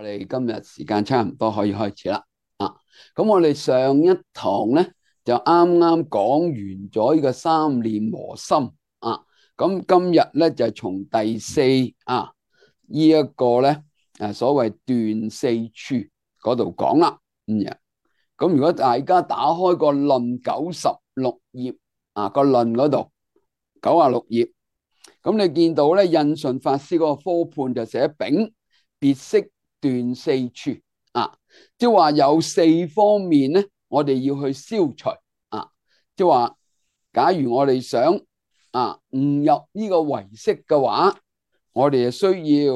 我哋今日時間差唔多可以開始啦。咁我哋上一堂咧就啱啱講完咗呢個三念和心啊。咁今日咧就從第四呢一個咧所謂斷四處嗰度講啦。咁如果大家打開個論96頁個論嗰度96頁，咁你見到咧印順法師嗰個科判就寫丙別釋斷四處即係話有四方面咧，我哋要去消除即係話假如我哋想悟入呢個唯識嘅話，我哋就需要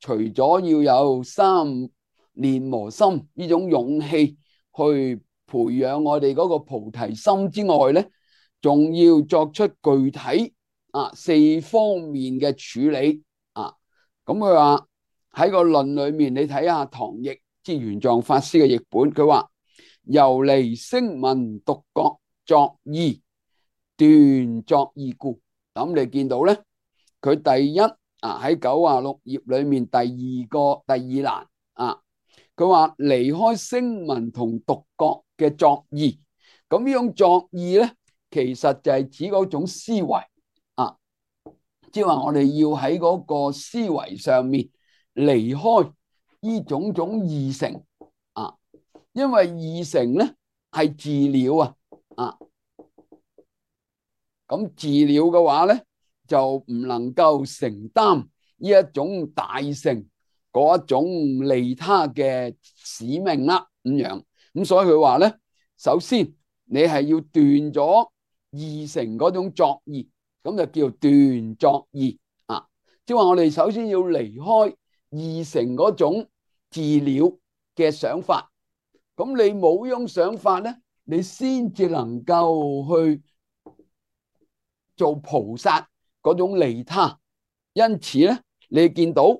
除咗要有三念和心呢種勇氣去培養我哋嗰個菩提心之外咧，仲要作出具體四方面嘅處理咁佢話喺個論裏面，你睇下唐譯即玄奘法師嘅譯本，佢話由離聲聞獨覺作意斷作意故。咁你見到咧，佢第一喺96頁裏面第二欄佢話離開聲聞同獨覺嘅作意。咁呢種作意咧，其實就係指嗰種思維即係話我哋要喺嗰個思維上面離開呢種種二乘因為二乘咧係自了咁自了嘅話咧就唔能夠承擔呢一種大乘嗰一種利他嘅使命啦咁所以佢話咧，首先你係要斷咗二乘嗰種作意，咁就叫斷作意即係話我哋首先要離開二乘嗰種自了嘅想法。咁你冇呢種想法咧，你先至能夠去做菩薩嗰種利他。因此咧，你見到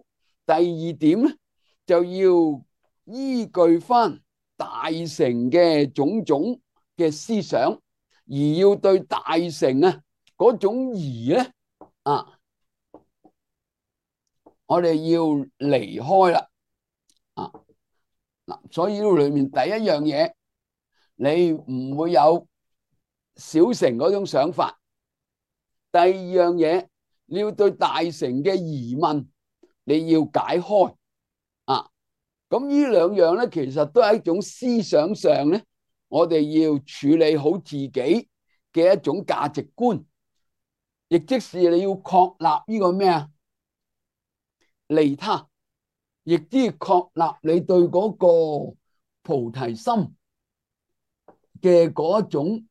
第二點咧，就要依據翻大乘嘅種種嘅思想，而要對大乘嗰種疑咧我哋要離開啦所以呢度裏面第一樣嘢，你唔會有小乘嗰種想法。第二樣嘢，你要對大乘嘅疑問，你要解開咁呢兩樣咧，其實都係一種思想上咧，我哋要處理好自己嘅一種價值觀，亦即是你要確立呢個咩利他，亦即係確立你對嗰個菩提心嘅嗰一種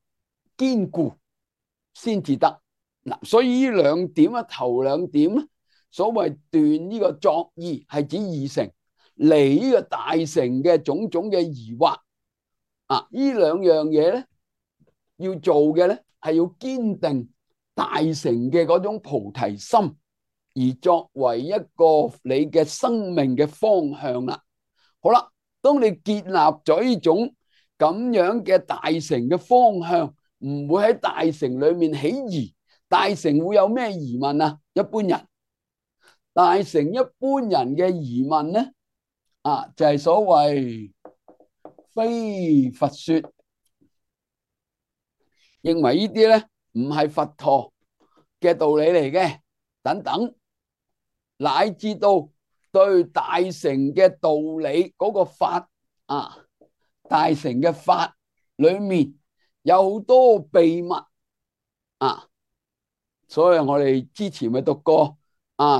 堅固先至得所以呢兩點頭兩點所謂斷呢個作意係指二乘，離呢個大乘嘅種種嘅疑惑呢兩樣嘢咧，要做嘅咧係要堅定大乘嘅嗰種菩提心，而作為一個你嘅生命嘅方向啦。好啦，當你建立咗呢種咁樣嘅大乘嘅方向，唔會喺大乘裏面起疑。大乘會有咩疑問一般人大乘一般人嘅疑問咧就係所謂非佛說，認為呢啲咧唔係佛陀嘅道理嚟嘅等等，乃至到對大乘嘅道理嗰個法大乘嘅法裏面有好多秘密所以我哋之前咪讀過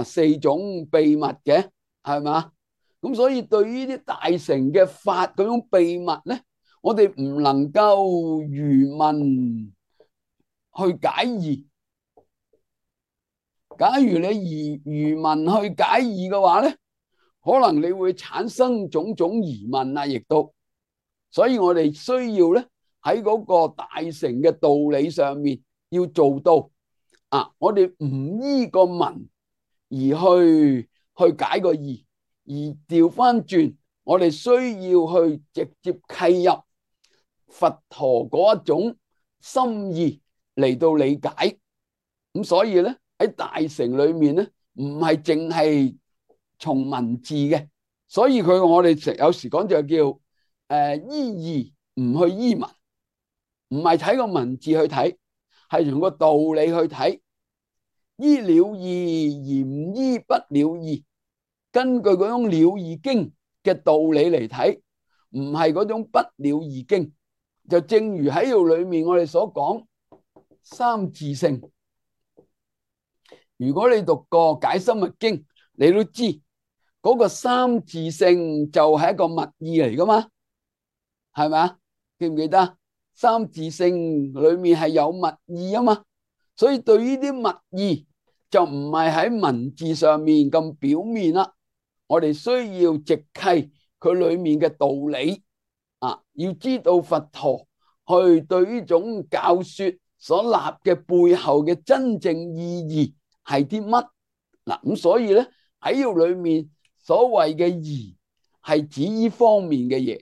四種秘密嘅，係嘛？咁所以對於啲大乘嘅法嗰種秘密咧，我哋唔能夠愚問去解疑。假如你愚問去解疑嘅話咧，可能你會產生種種疑問亦都。所以我哋需要咧喺嗰個大乘嘅道理上面要做到我哋唔依個文而去解個義，而調翻轉，我哋需要去直接契入佛陀嗰一種心意嚟到理解。咁所以咧喺大乘裏面咧，唔係淨係從文字嘅，所以我哋有時講就叫依義唔去依文，唔係睇個文字去睇，係從個道理去睇。依了義而唔依不了義，根據嗰種了義經嘅道理嚟睇，唔係嗰種不了義經。就正如喺度裏面我哋所講三自性，如果你讀過解深密經，你都知嗰個三自性就係一個密意嚟噶嘛，係咪啊？記唔記得？三自性裏面係有密意啊嘛，所以對於啲密意就唔係喺文字上面咁表面啦。我哋需要直契佢裏面嘅道理啊，要知道佛陀去對呢種教說所立嘅背後嘅真正意義係啲乜嗱？咁所以咧喺呢裏面所謂嘅義係指呢方面嘅嘢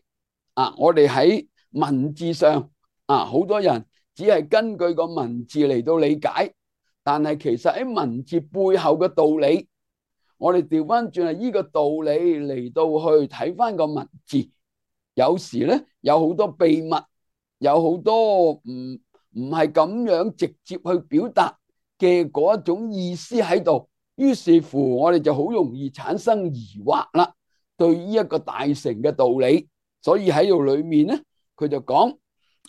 啊。我哋喺文字上啊，好多人只係根據個文字嚟到理解，但係其實喺文字背後嘅道理，我哋調翻轉係呢個道理嚟到去睇翻個文字，有時咧有好多秘密，有好多唔係咁樣直接去表達嘅嗰一種意思喺度，於是乎我哋就好容易產生疑惑啦，對呢一個大乘嘅道理。所以喺度裏面咧，佢就講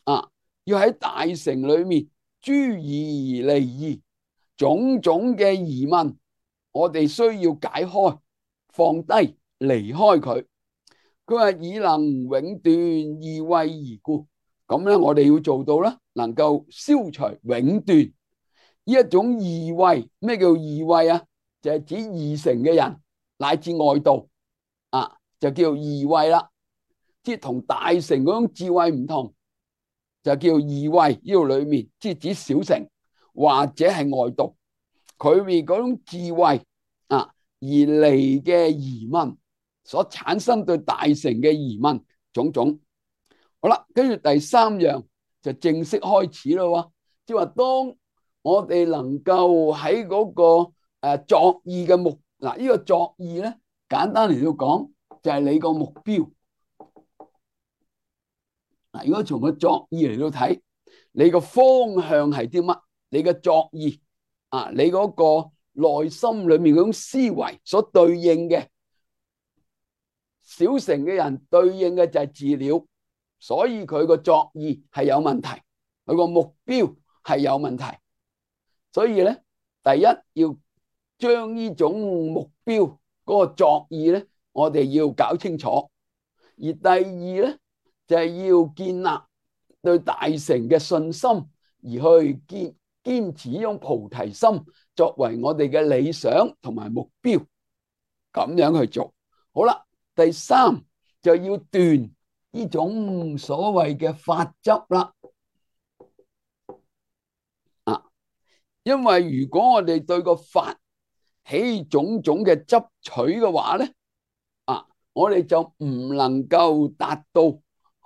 啊，要喺大乘裏面諸疑離疑，種種嘅疑問，我哋需要解開，放低，離開佢。佢話以能永斷疑慧而故，咁咧我哋要做到啦，能夠消除永斷呢一種疑慧。咩叫疑慧啊？就係指二乘嘅人乃至外道啊，就叫疑慧啦。即係同大乘嗰種智慧唔同，就叫疑慧。呢度裏面即係指小乘或者係外道，佢哋嗰種智慧啊而嚟嘅疑問，所產生對大乘嘅疑問種種。好啦，跟住第三樣就正式開始咯。即係話當我哋能夠喺嗰個作意嘅目嗱，呢個作意咧簡單嚟到講就係你個目標。嗱，如果從個作意嚟到睇，你個方向係啲乜？你嘅作意啊，你嗰個內心裏面嗰種思維所對應嘅，小乘嘅人對應嘅就係自了，所以佢個作意係有問題，佢個目標係有問題。所以咧，第一要將呢種目標嗰個作意咧，我哋要搞清楚。而第二咧，就係要建立對大乘嘅信心，而去堅持呢種菩提心作為我哋嘅理想同埋目標，咁樣去做。好啦，第三就要斷呢種所謂嘅法執啦。因為如果我哋對個法起種種嘅執取嘅話咧，我哋就唔能夠達到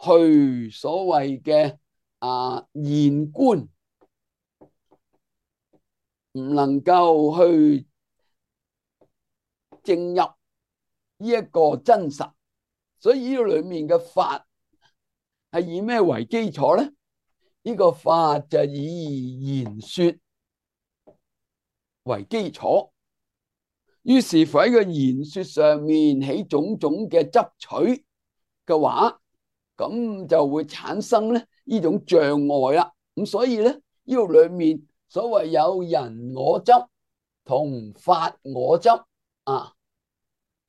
去所謂嘅現觀，唔能夠去證入呢一個真實。所以呢個裏面嘅法係以咩為基礎咧？呢個法就以言說為基礎，於是乎喺個言說上面起種種嘅執取嘅話，咁就會產生咧呢種障礙啦。咁所以咧呢個裏面所謂有人我執同法我執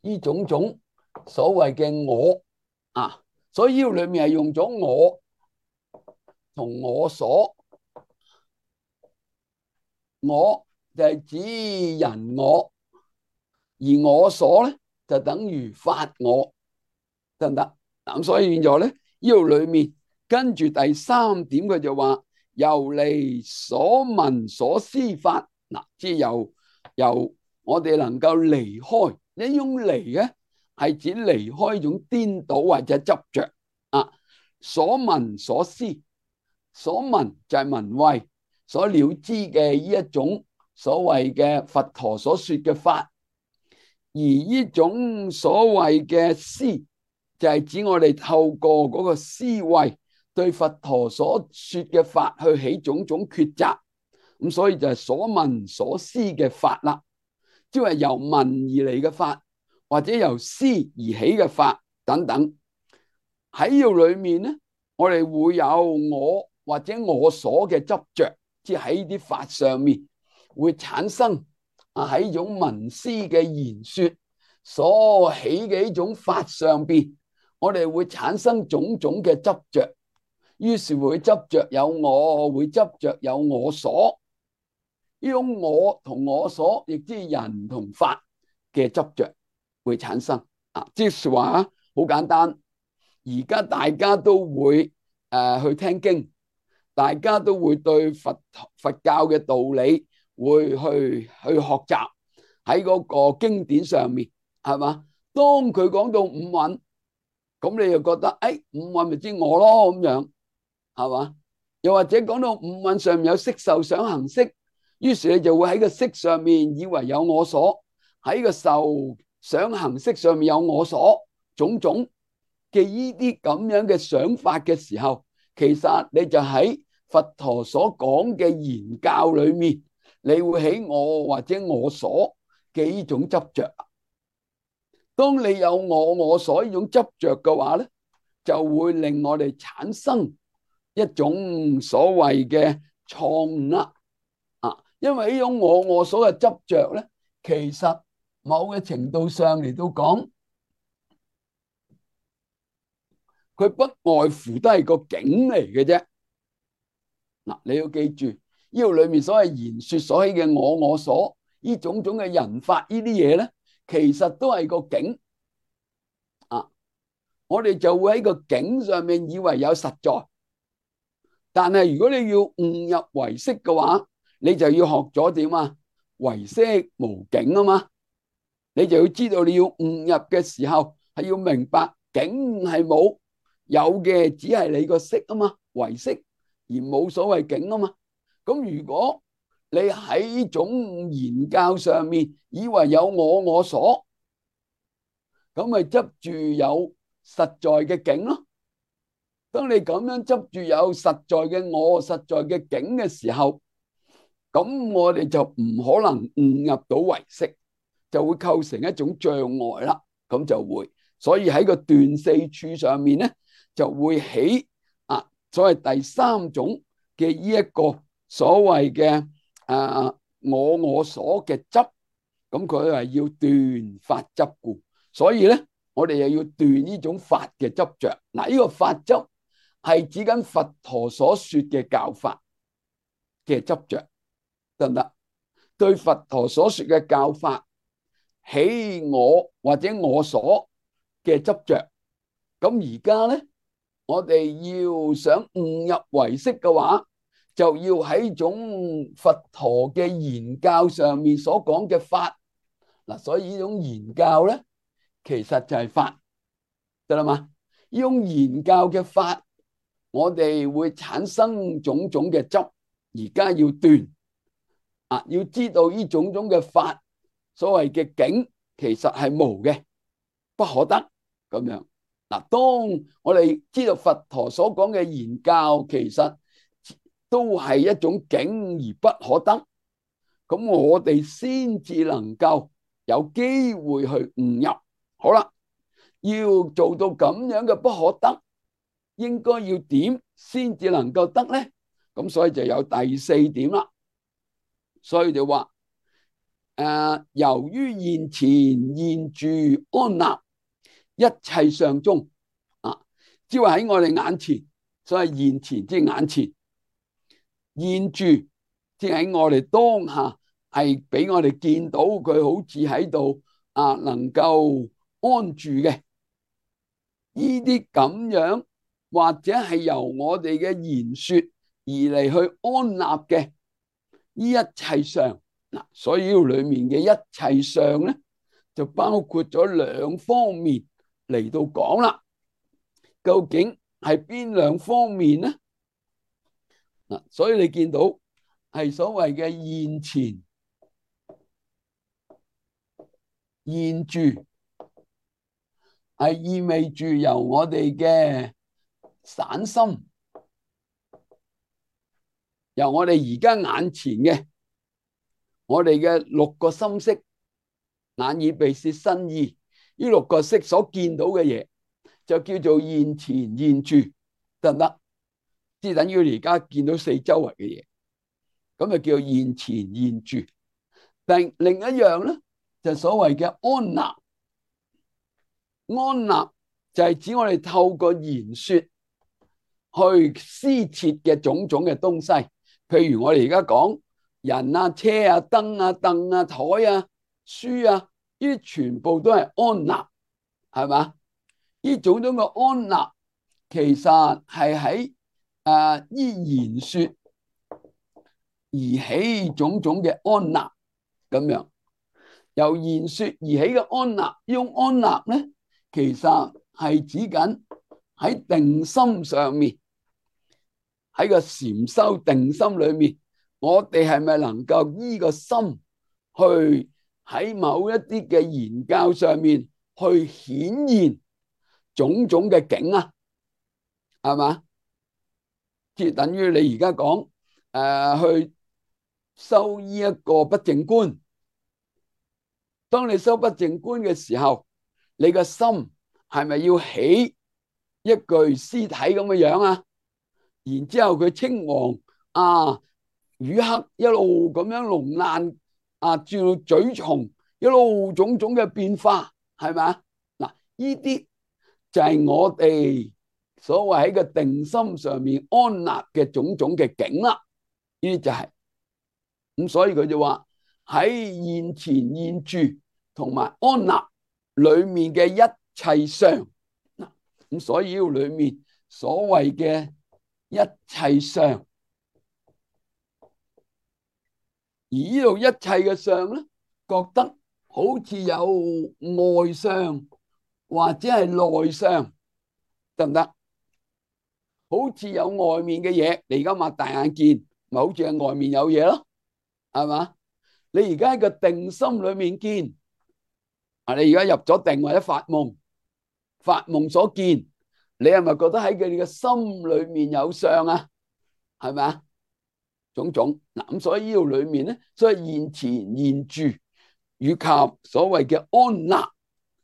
呢種種所謂嘅我所以呢個裏面係用咗我同我所，我就係指人我，而我所咧就等於法我，得唔得？咁所以變咗咧呢度裏面跟住第三點佢就話由離所聞所思法，即係由我哋能夠離開呢種離咧，係指離開一種顛倒或者執着所聞所思，所聞就係聞慧，所了知嘅呢一種所謂嘅佛陀所說嘅法，而呢種所謂嘅思，就係指我哋透過嗰個思維對佛陀所說嘅法去起種種抉擇，咁所以就係所聞所思嘅法啦，即係由聞而嚟嘅法，或者由思而起嘅法等等。喺呢度裏面咧，我哋會有我或者我所嘅執着，即係喺啲法上面會產生喺呢種聞思嘅言說所起嘅呢種法上邊，我哋會產生種種嘅執着，於是會執着有我，會執着有我所。呢種我同我所，亦即係人同法嘅執着會產生。即係話好簡單，而家大家都會去聽經，大家都會對佛教嘅道理會去學習喺嗰個經典上面，係嘛？當佢講到五蘊，咁你又覺得五蘊咪即我咯咁樣，係嘛？又或者講到五蘊上面有色受想行識，於是你就會喺個色上面以為有我所，喺個受想行識上面有我所，種種嘅呢啲咁樣嘅想法嘅時候，其實你就喺佛陀所講嘅言教裏面，你會起我或者我所嘅呢種執着。當你有我所呢種執着嘅話咧，就會令我哋產生一種所謂嘅錯誤啦。因為呢種我所嘅執着咧，其實某嘅程度上嚟到講，佢不外乎都係個境嚟嘅啫。你要記住，呢度裏面所謂言說所起嘅我所，呢種種嘅人法呢啲嘢咧，其實都係個境。我哋就會喺個境上面以為有實在，但係如果你要悟入唯識嘅話，你就要學咗點啊？唯識無境啊嘛，你就要知道你要悟入嘅時候係要明白境係冇，有嘅只係你個識啊嘛，唯識而冇所謂境啊嘛。咁如果你喺呢種言教上面以為有我所，咁咪執住有實在嘅境咯。當你咁樣執住有實在嘅我、實在嘅境嘅時候，咁我哋就唔可能悟入到唯識，就會構成一種障礙啦。咁就會，所以喺個斷四處上面咧，就會起所謂第三種嘅呢一個所謂嘅我所嘅執，咁佢係要斷法執故，所以咧我哋又要斷呢種法嘅執着。呢個法執係指緊佛陀所說嘅教法嘅執着，得唔得？對佛陀所說嘅教法起我或者我所嘅執着，咁而家咧，我哋要想悟入唯識嘅話，就要喺種佛陀嘅言教上面所講嘅法。所以呢種言教咧，其實就係法，得啦嘛？呢種言教嘅法，我哋會產生種種嘅執，而家要斷要知道呢種種嘅法，所謂嘅境其實係無嘅，不可得咁樣。當我哋知道佛陀所講嘅言教，其實都係一種境而不可得，咁我哋先至能夠有機會去悟入。好啦，要做到咁樣嘅不可得，應該要點先至能夠得咧？咁所以就有第四點啦。所以就話由於現前現住安立一切相中即係喺我哋眼前，所謂現前即係眼前，現住即係喺我哋當下，係俾我哋見到佢好似喺度能夠安住嘅呢啲咁樣，或者係由我哋嘅言說而嚟去安立嘅呢一切相。所以呢裏面嘅一切相咧，就包括咗兩方面嚟到講啦。究竟係邊兩方面咧？所以你見到係所謂嘅現前、現住係意味住由我哋嘅散心，由我哋而家眼前嘅我哋嘅六個心識，眼耳鼻舌身意呢六個識所見到嘅嘢，就叫做現前現住，得唔得？即係等於你而家見到四周圍嘅嘢，咁就叫做現前現住。但另一樣咧，就所謂嘅安立。安立就係指我哋透過言說去施設嘅種種嘅東西，譬如我哋而家講人啊、車啊、燈啊、凳啊、台啊、書啊，呢啲全部都係安立，係嘛？呢種種嘅安立，其實係喺依言說而起種種嘅安立，咁樣由言說而起嘅安立，呢種安立咧，其實係指緊喺定心上面，喺個禪修定心裏面，我哋係咪能夠依個心去喺某一啲嘅言教上面去顯現種種嘅境啊？係嘛？即係等於你而家講去修依一個不淨觀，當你修不淨觀嘅時候，你個心係咪要起一具屍體咁嘅樣啊？然之後佢青黃乳黑一路咁樣龍爛轉到嘴重，一路種種嘅變化，係咪？嗱，呢啲就係我哋所謂喺個定心上面安立嘅種種嘅境啦。呢啲就係咁，所以佢就話喺現前現住同埋安立裏面嘅一切相。咁所以呢裏面所謂嘅一切相，而呢度一切嘅相咧，覺得好似有外相或者係內相，得唔得？好似有外面嘅嘢，你而家擘大眼見，咪好似係外面有嘢咯，係嘛？你而家喺個定心裏面見，你而家入咗定或者發夢，發夢所見，你係咪覺得喺佢哋嘅心裏面有相啊？係咪啊？種種嗱，咁所以呢度裏面咧，所以現前現住以及所謂嘅安立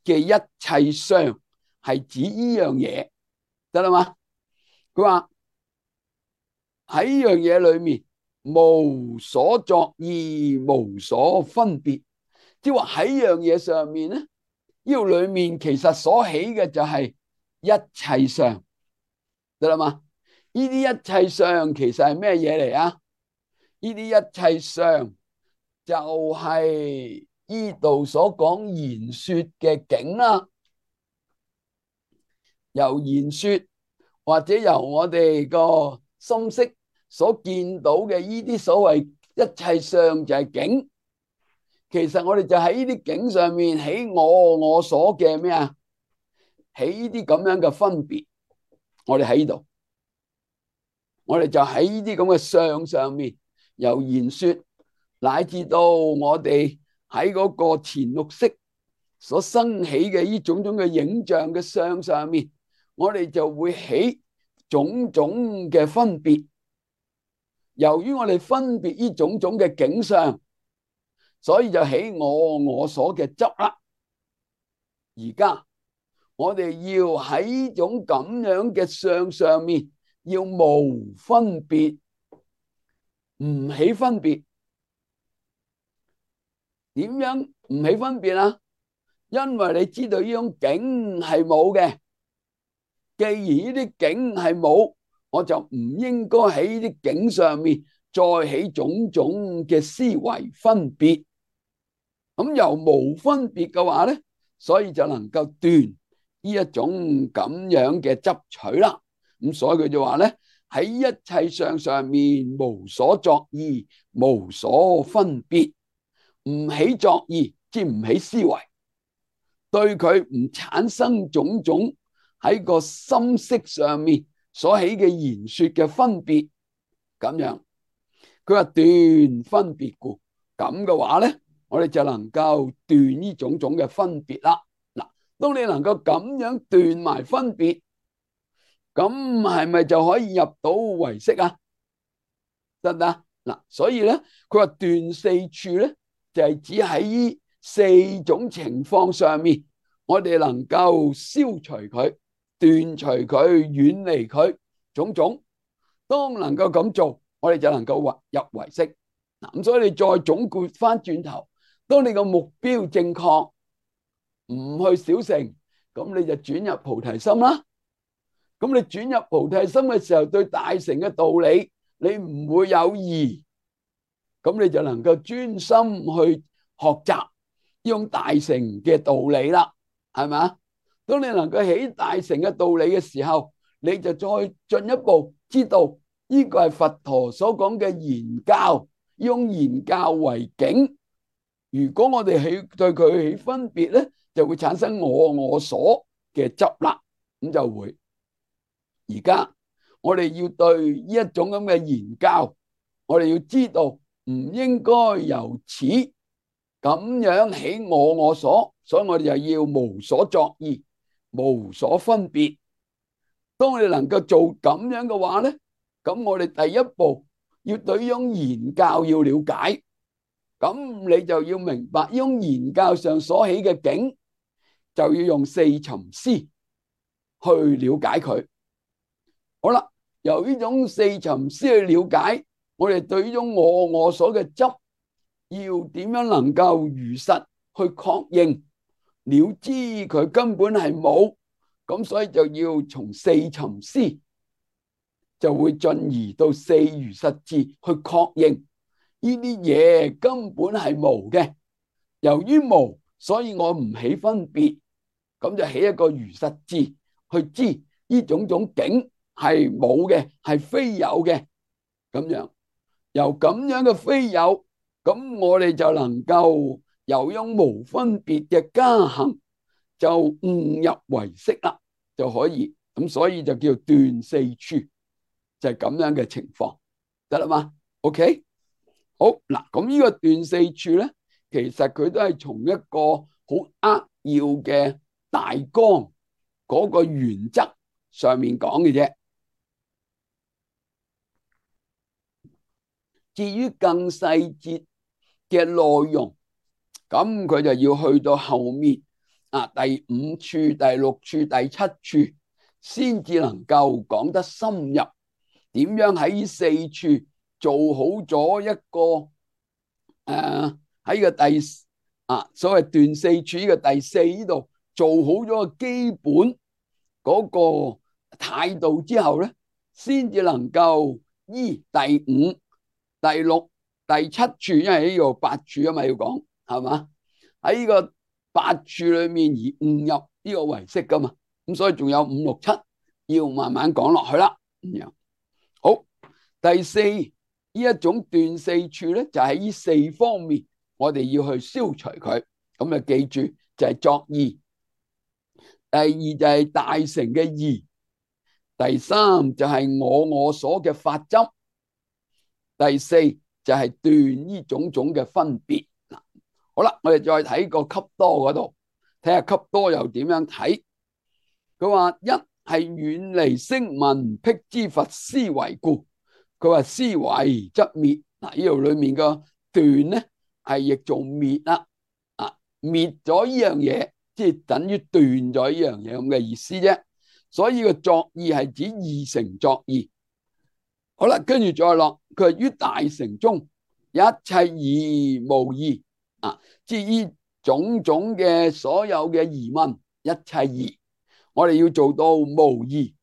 嘅一切相，係指呢樣嘢，得啦嘛？佢話喺呢樣嘢裏面，無所作意，無所分別，即係話喺呢樣嘢上面咧，呢度裏面其實所起嘅就係一切相，得啦嘛？呢啲一切相其實係咩嘢嚟啊？呢啲一切相就係呢度所講言說嘅境啦，由言說或者由我哋個心識所見到嘅呢啲所謂一切相就係境。其實我哋就喺呢啲境上面起我所嘅咩啊？起呢啲咁樣嘅分別，我哋喺呢度，我哋就喺呢啲咁嘅相上面，由言說乃至到我哋喺嗰個前六識所生起嘅呢種種嘅影像嘅相上面，我哋就會起種種嘅分別。由於我哋分別呢種種嘅景象，所以就起我所嘅執啦。而家我哋要喺呢種咁樣嘅相上面，要無分別，唔起分別。點樣唔起分別啊？因為你知道呢種境係冇嘅，既然呢啲境係冇，我就唔應該喺呢啲境上面再起種種嘅思維分別。咁由無分別嘅話咧，所以就能夠斷呢一種咁樣嘅執取啦。咁所以佢就話咧，喺一切相上面無所作意，無所分別，唔起作意，即係唔起思維，對佢唔產生種種喺個心識上面所起嘅言說嘅分別。咁樣佢話斷分別故，咁嘅話咧，我哋就能夠斷呢種種嘅分別啦。嗱，當你能夠咁樣斷埋分別，咁係咪就可以入到唯識啊？得唔得？嗱，所以咧，佢話斷四處咧，就係指喺呢四種情況上面，我哋能夠消除佢、斷除佢、遠離佢種種。當能夠咁做，我哋就能夠入唯識。嗱，咁所以你再總括翻轉頭，當你個目標正確，唔去小乘，咁你就轉入菩提心啦。咁你轉入菩提心嘅時候，對大乘嘅道理，你唔會有疑，咁你就能夠專心去學習呢種大乘嘅道理啦，係咪？當你能夠起大乘嘅道理嘅時候，你就再進一步知道呢個係佛陀所講嘅言教，呢種言教為境。如果我哋對佢起分別咧，就會產生我所嘅執啦，咁就會。而家我哋要對呢一種咁嘅言教，我哋要知道唔應該由此咁樣起我所，所以我哋就要無所作意，無所分別。當我哋能夠做咁樣嘅話咧，咁我哋第一步要對呢種言教要了解，咁你就要明白呢種言教上所起嘅境，就要用四尋思去了解佢。好啦，由呢種四尋思去了解，我哋對呢種我所嘅執，要點樣能夠如實去確認，了知佢根本係冇，咁所以就要從四尋思，就會進而到四如實智去確認呢啲嘢根本係無嘅。由於無，所以我唔起分別，咁就起一個如實智去知呢種種境係冇嘅，係非有嘅。咁樣由咁樣嘅非有，咁我哋就能夠由用無分別嘅加行，就悟入唯識啦，就可以。咁所以就叫斷四處，就係咁樣嘅情況，得啦嘛？OK，好嗱，咁呢個斷四處咧，其實佢都係從一個好扼要嘅大綱嗰個原則上面講嘅啫。至於更細節嘅內容，咁佢就要去到後面啊，第五處、第六處、第七處，先至能夠講得深入。點樣喺呢四處做好咗一個喺個第所謂斷四處呢個第四呢度做好咗個基本嗰個態度之後咧，先至能夠依第五、第六、第七處，因為呢個八處啊嘛，要講係嘛，喺呢個八處裏面而悟入呢個唯識噶嘛，咁所以仲有五六七要慢慢講落去啦。咁樣好，第四呢一種斷四處咧，就喺呢四方面，我哋要去消除佢。咁啊，記住就係作意。第二就係大乘嘅義，第三就係我所嘅法執，第四就係斷呢種種嘅分別。好啦，我哋再睇個笈多嗰度，睇下笈多又點樣睇。佢話一係遠離聲聞辟支佛思維故，佢話思維則滅。嗱，呢度裏面個斷咧係譯做滅啦，滅咗呢樣嘢，即係等於斷咗呢樣嘢咁嘅意思啫。所以個作意係指二乘作意。好啦，跟住再落，佢係於大乘中一切疑無疑即係呢種種嘅所有嘅疑問，一切疑，我哋要做到無疑，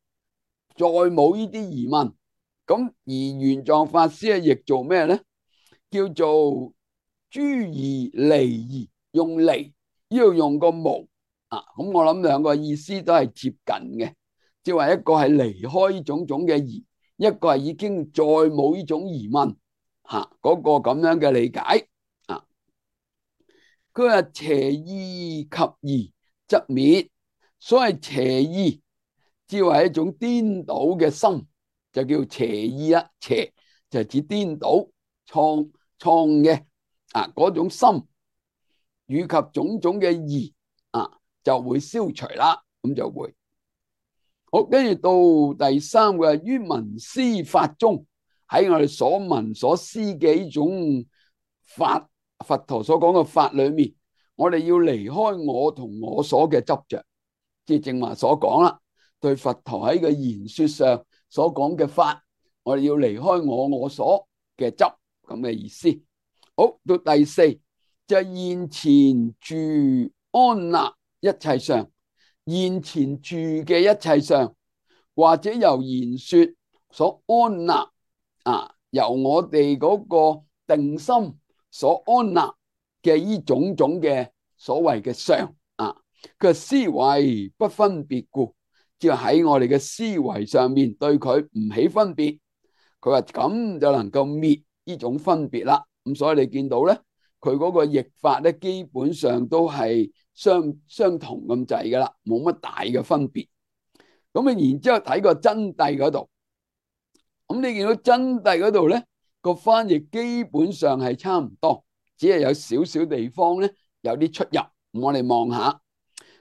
再冇呢啲疑問。咁而玄奘法師係譯做咩咧？叫做諸疑離疑，用離呢度用個無咁我諗兩個意思都係接近嘅，即係話一個係離開呢種種嘅疑，一個係已經再冇呢種疑問嗰個咁樣嘅理解佢話邪意及疑則滅，所謂邪意，只係一種顛倒嘅心，就叫邪意啦。邪就係指顛倒、創嘅嗰種心，以及種種嘅疑就會消除啦，咁就會好。跟住到第三個於聞思法中，喺我哋所聞所思嘅呢種法，佛陀所講嘅法裏面，我哋要離開我同我所嘅執着，即係正話所講啦。對佛陀喺個言說上所講嘅法，我哋要離開我所嘅執，咁嘅意思。好，到第四就係現前住安立一切相，現前住嘅一切相，或者由言說所安立由我哋嗰個定心所安立嘅呢種種嘅所謂嘅相佢思維不分別故，即係喺我哋嘅思維上面對佢唔起分別，佢話咁就能夠滅呢種分別啦。咁所以你見到咧，佢嗰個譯法咧，基本上都係相同咁滯噶啦，冇乜大嘅分別。咁然之後睇個真諦嗰度，咁你見到真諦嗰度咧，個翻譯基本上係差唔多，只係有少少地方咧有啲出入。我哋望下，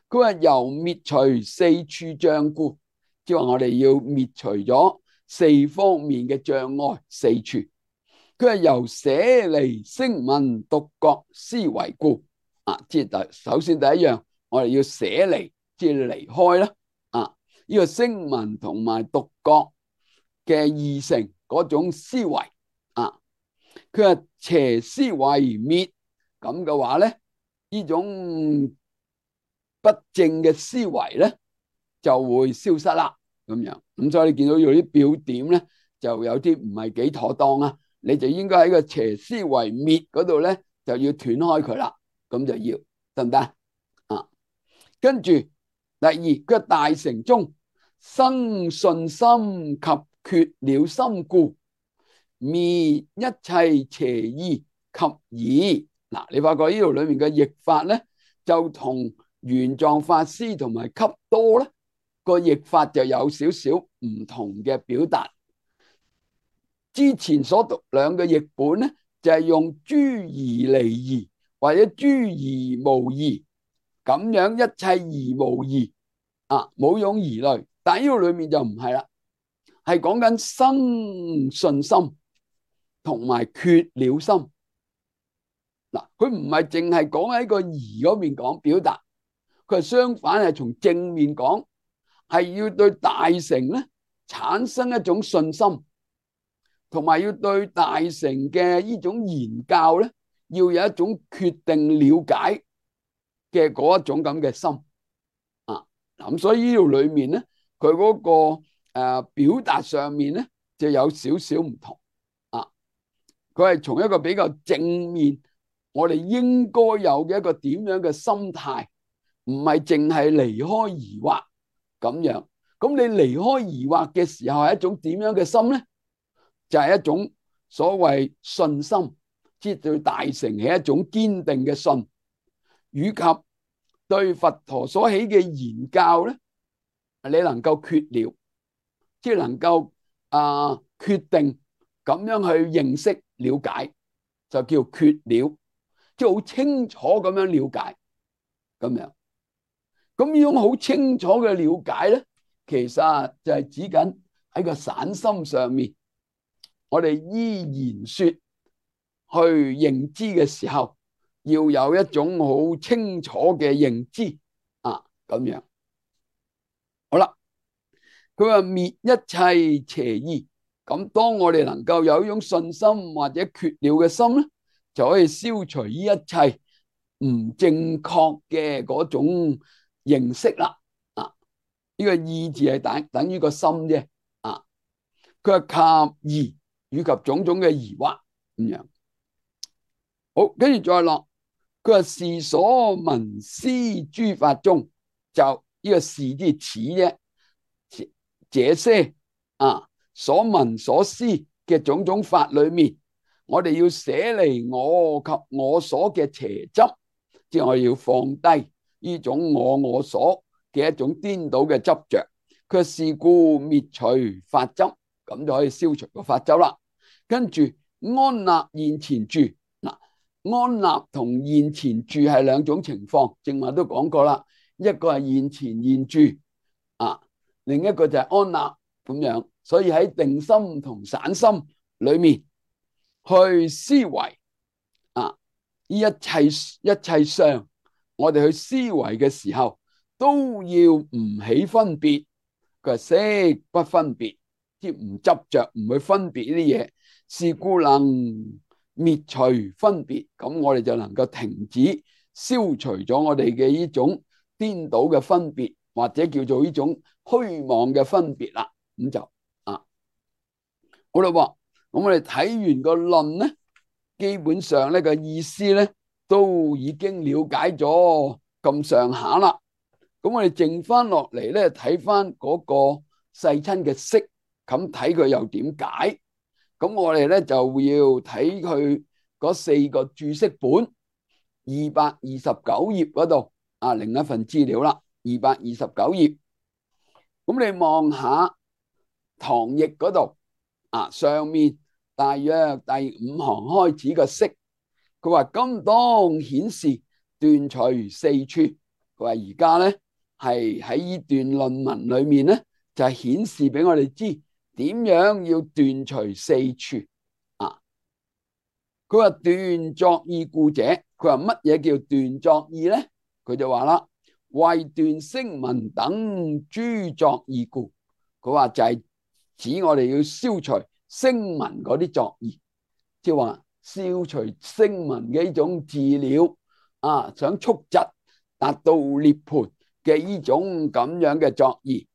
佢話由滅除四處障故，即係話我哋要滅除咗四方面嘅障礙四處。佢係由捨離聲聞獨覺思維故即係首先第一樣，我哋要捨離，即係離開啦呢個聲聞同埋獨覺嘅二乘嗰種思維佢話邪思維滅，咁嘅話咧，呢種不正嘅思維咧就會消失啦。咁樣咁所以你見到有啲表點咧，就有啲唔係幾妥當啊。你就應該喺個邪思維滅嗰度咧，就要斷開佢啦。咁就要得唔得跟住第二，佢大乘中生信心及決了心故，滅一切邪意及疑。你發覺呢度裏面嘅譯法咧，就同玄奘法師同埋笈多咧個譯法就有少少唔同嘅表達。之前所讀兩個譯本咧，就係用諸疑離疑或者諸疑無疑咁樣，一切疑無疑冇用疑慮。但係呢個裏面就唔係啦，係講緊生信心同埋決了心。佢唔係淨係講喺個疑嗰邊講表達，佢係相反係從正面講，係要對大乘咧產生一種信心，同埋要對大乘嘅呢種言教咧，要有一種決定了解嘅嗰一種咁嘅心咁所以呢度裏面咧，佢嗰個表達上面咧就有少少唔同佢係從一個比較正面，我哋應該有嘅一個點樣嘅心態，唔係淨係離開疑惑咁樣。咁你離開疑惑嘅時候係一種點樣嘅心咧？就係一種所謂信心，即係對大乘係一種堅定嘅信，以及對佛陀所起嘅言教咧，你能夠決了，即係能夠決定咁樣去認識了解，就叫決了，即係好清楚咁樣了解咁樣。咁呢種好清楚嘅了解咧，其實就係指緊喺個散心上面，我哋依言說去認知嘅時候，要有一種好清楚嘅認知咁樣。好啦，佢話滅一切邪意，咁當我哋能夠有一種信心或者決了嘅心咧，就可以消除呢一切唔正確嘅嗰種認識啦。呢個意字係等於個心啫。佢話及疑以及種種嘅疑惑咁樣。好，跟住再落，佢話是所聞思諸法中，就呢個是啲似啫。這些所聞所思嘅種種法裏面，我哋要捨離我及我所嘅邪執，即係我要放低呢種我所嘅一種顛倒嘅執着。佢是故滅除法執，咁就可以消除個法執啦。跟住安立現前住安立同現前住係兩種情況，正話都講過啦。一個係現前現住啊，另一個就係安立咁樣。所以喺定心同散心裏面去思維啊，呢一切相，我哋去思維嘅時候都要唔起分別。佢係識不分別，即唔執着，唔去分別呢啲嘢，是故能滅除分別。咁我哋就能夠停止消除咗我哋嘅呢種顛倒嘅分別，或者叫做呢種虛妄嘅分別啦。咁就好啦。咁我哋睇完個論咧，基本上呢個意思咧都已經了解咗咁上下啦。咁我哋剩翻落嚟咧，睇翻嗰個世親嘅釋，咁睇佢又點解？咁我哋咧就要睇佢嗰4個注釋本，229頁嗰度啊，另一份資料啦，229頁。咁你望下唐譯嗰度啊，上面大約第5行開始個釋，佢話今當顯示斷除四處。佢話而家咧係喺呢段論文裏面咧，就係顯示俾我哋知點樣要斷除四處啊。佢話斷作意故者，佢話乜嘢叫斷作意咧？佢就話啦，為斷聲聞等諸作意故。佢話就係指我哋要消除聲聞嗰啲作意，即係話消除聲聞嘅呢種自了啊，想速疾達到涅槃嘅呢種咁樣嘅作意。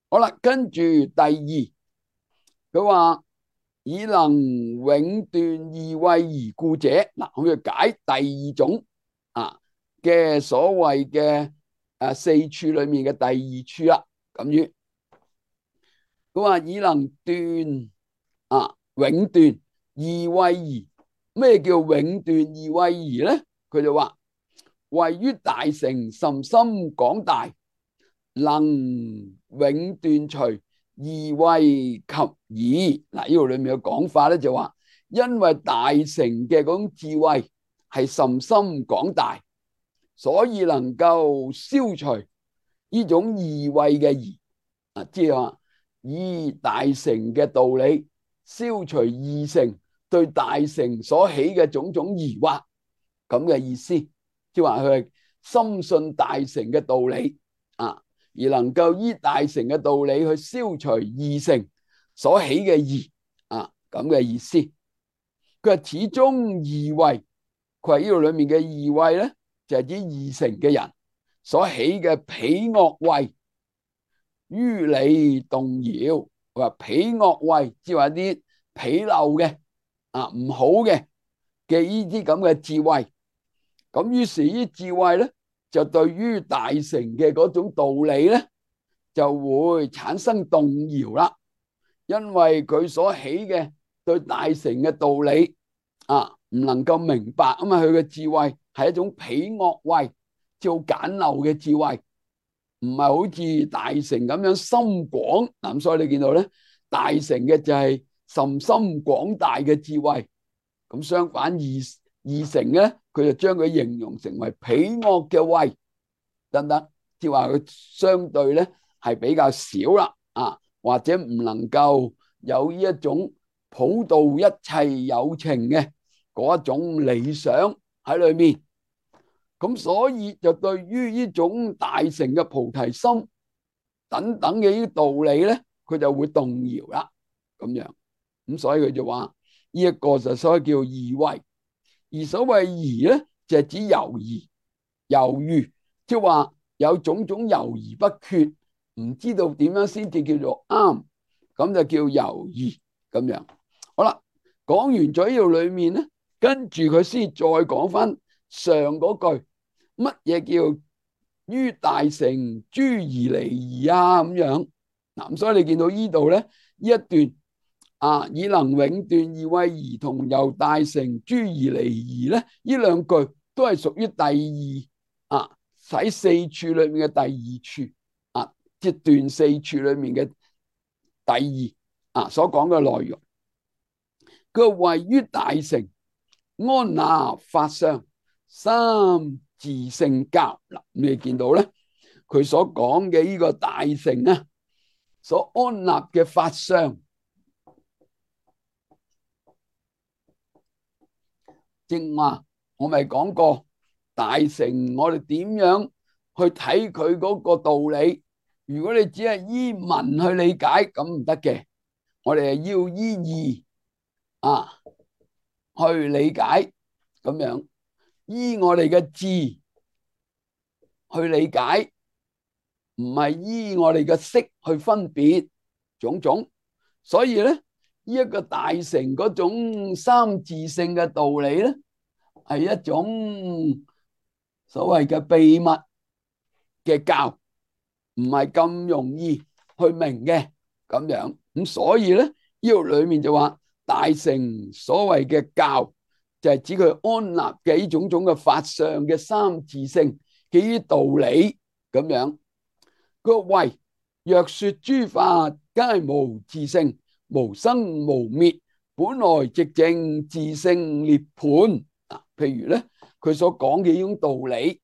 好啦，跟住第二，佢話以能永斷異謂疑故者，嗱，咁要解第二種啊嘅所謂嘅四處裏面嘅第二處啦。咁樣佢話以能斷永斷異謂疑。咩叫永斷異謂疑咧？佢就話位於大乘甚深廣大，能永斷除異謂及疑。嗱，呢度裏面嘅講法咧就話，因為大乘嘅嗰種智慧係甚深廣大，所以能夠消除呢種異謂嘅疑啊，即係話以大乘嘅道理消除二乘對大乘所起嘅種種疑惑，咁嘅意思。即係話佢係深信大乘嘅道理啊，而能夠依大乘嘅道理去消除二乘所起嘅疑啊，咁嘅意思。佢話始終異謂，佢話呢度裏面嘅異謂咧，就係指二乘嘅人所起嘅鄙惡謂，於理動搖。佢話鄙惡謂，即係話啲鄙陋嘅唔好嘅呢啲咁嘅智慧。咁於是呢智慧咧，就對於大乘嘅嗰種道理咧，就會產生動搖啦。因為佢所起嘅對大乘嘅道理唔能夠明白啊嘛，佢嘅智慧係一種鄙惡謂，即係好簡陋嘅智慧，唔係好似大乘咁樣深廣。咁所以你見到咧，大乘嘅就係甚深廣大嘅智慧。咁相反二乘咧，佢就將佢形容成為鄙惡嘅謂，得唔得？即係話佢相對咧係比較少啦，或者唔能夠有呢一種普渡一切有情嘅嗰一種理想喺裏面。咁所以就對於呢種大乘嘅菩提心等等嘅呢啲道理咧，佢就會動搖啦。咁樣，咁所以佢就話呢一個就所謂叫異謂。而所謂疑咧，就係指猶疑、猶豫，即係話有種種猶豫不決，唔知道點樣先至叫做啱，咁就叫猶豫咁樣。好啦，講完咗呢度裏面咧，跟住佢先再講翻上嗰句，乜嘢叫於大乘諸疑離疑啊？咁樣嗱，咁所以你見到呢度咧，呢一段。以能永斷異謂疑同由大乘諸疑離疑咧，呢兩句都係屬於第二喺四處裏面嘅第二處即係斷四處裏面嘅第二所講嘅內容。佢位於大乘安立法相，三自性教。嗱，你見到咧，佢所講嘅呢個大乘啊，所安立嘅法相，正話我咪講過大乘，我哋點樣去睇佢嗰個道理？如果你只係依文去理解，咁唔得嘅。我哋係要依義啊去理解，咁樣依我哋嘅智去理解，唔係依我哋嘅識去分別種種。所以咧，呢一個大乘嗰種三自性嘅道理咧，係一種所謂嘅秘密嘅教，唔係咁容易去明嘅咁樣。咁所以咧，呢度裏面就話大乘所謂嘅教，就係指佢安立嘅呢種種嘅法相嘅三自性嘅呢啲道理咁樣。佢話喂，若說諸法皆無自性，無生無滅，本來寂靜自性涅槃。譬如咧，佢所講嘅呢種道理，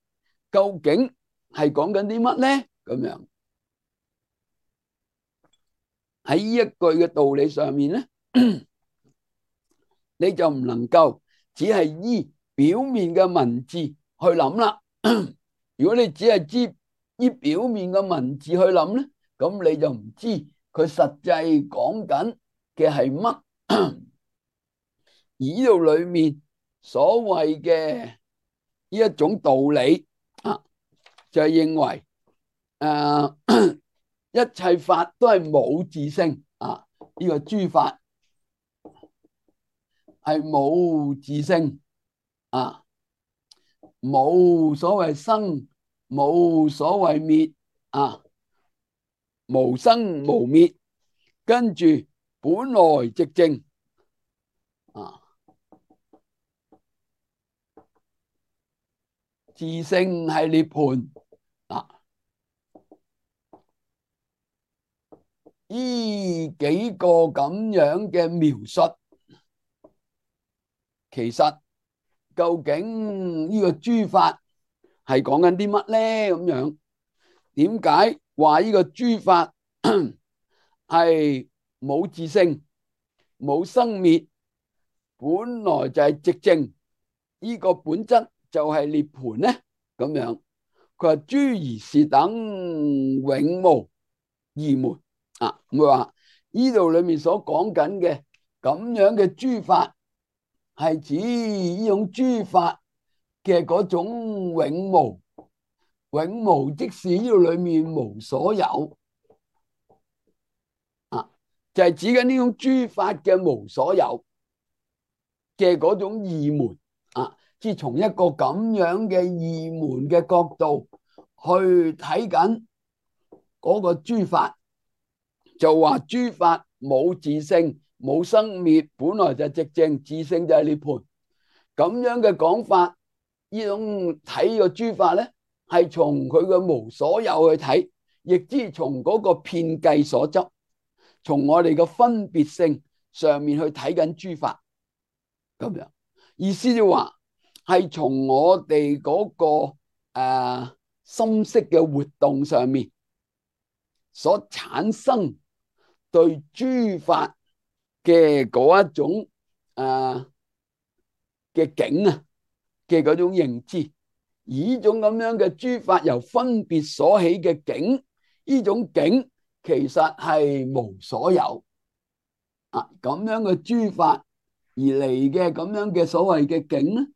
究竟係講緊啲乜咧？咁樣喺呢一句嘅道理上面咧，你就唔能夠只係依表面嘅文字去諗啦。如果你只係知依表面嘅文字去諗咧，咁你就唔知佢實際講緊嘅係乜。而呢度裏面所謂嘅呢一種道理啊，就係認為一切法都係冇自性啊，呢個諸法係冇自性啊，冇所謂生，冇所謂滅啊，無生無滅，跟住本來寂靜啊，自性係涅槃啊，呢幾個咁樣嘅描述，其實究竟呢個諸法係講緊啲乜咧？咁樣點解話呢個諸法係冇自性、冇生滅，本來就係寂靜，呢個本質就係涅槃咧？咁樣佢話諸如是等永無二門啊！咁佢話呢度裏面所講緊嘅咁樣嘅諸法，係指呢種諸法嘅嗰種永無，永無即是呢度裏面無所有啊，就係指緊呢種諸法嘅無所有嘅嗰種二門啊，即係從一個咁樣嘅二門嘅角度去睇緊嗰個諸法，就話諸法冇自性、冇生滅，本來就寂靜，自性就係涅槃。咁樣嘅講法，呢種睇個諸法咧，係從佢嘅無所有去睇，亦之從嗰個遍計所執，從我哋嘅分別性上面去睇緊諸法，咁樣意思就話係從我哋嗰個心識嘅活動上面所產生對諸法嘅嗰一種嘅境啊嘅嗰種認知，而呢種咁樣嘅諸法由分別所起嘅境，呢種境其實係無所有啊，咁樣嘅諸法而嚟嘅咁樣嘅所謂嘅境咧，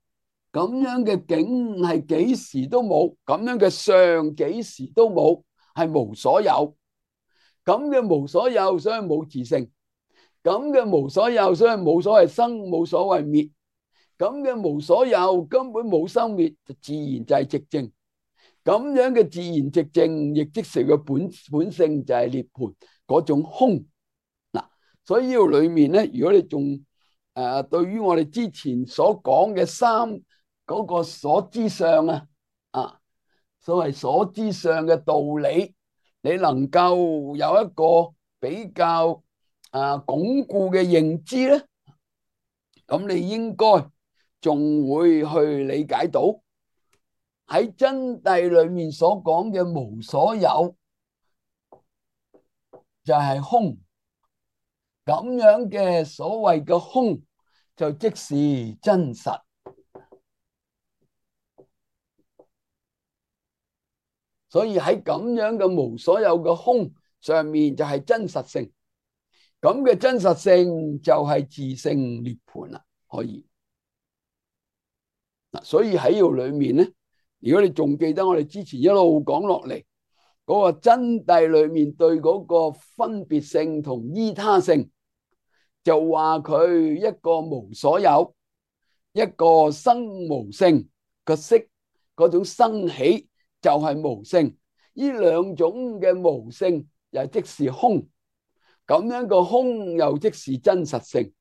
咁樣嘅境係幾時都冇，咁樣嘅相幾時都冇，係無所有。咁嘅無所有，所以冇自性；咁嘅無所有，所以冇所謂生，冇所謂滅。咁嘅無所有根本冇生滅，就自然就係寂靜。咁樣嘅自然寂靜，亦即是個本性就係涅槃嗰種空。嗱，所以呢度裏面咧，如果你仲對於我哋之前所講嘅三嗰個所知相所謂所知相嘅道理，你能夠有一個比較鞏固嘅認知咧，咁你應該仲會去理解到喺真諦裏面所講嘅無所有就係空，咁樣嘅所謂嘅空就即是真實。所以喺咁樣嘅無所有嘅空上面就係真實性，咁嘅真實性就係自性涅槃啦，可以。所以喺呢度裏面咧，如果你仲記得我哋之前一路講落嚟嗰個真諦裏面對嗰個分別性同依他性，就話佢一個無所有，一個生無性個色，嗰種生起就係無性，呢兩種嘅無性又即是空，咁樣個空又即是真實性。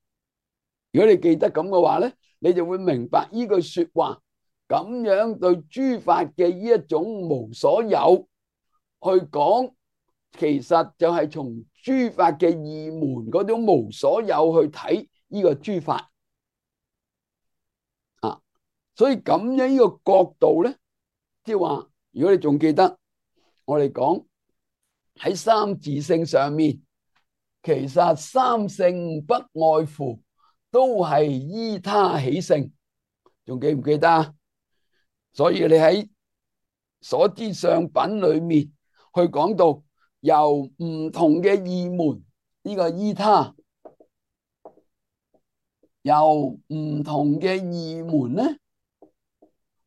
如果你記得咁嘅話咧，你就會明白呢句說話咁樣對諸法嘅呢一種無所有去講，其實就係從諸法嘅二門嗰種無所有去睇呢個諸法啊。所以咁樣呢個角度咧，即係話，如果你仲記得我哋講喺三自性上面，其實三性不外乎都係依他起性，仲記唔記得啊？所以你喺所知相品裏面去講到由唔同嘅二門，呢個依他由唔同嘅二門咧，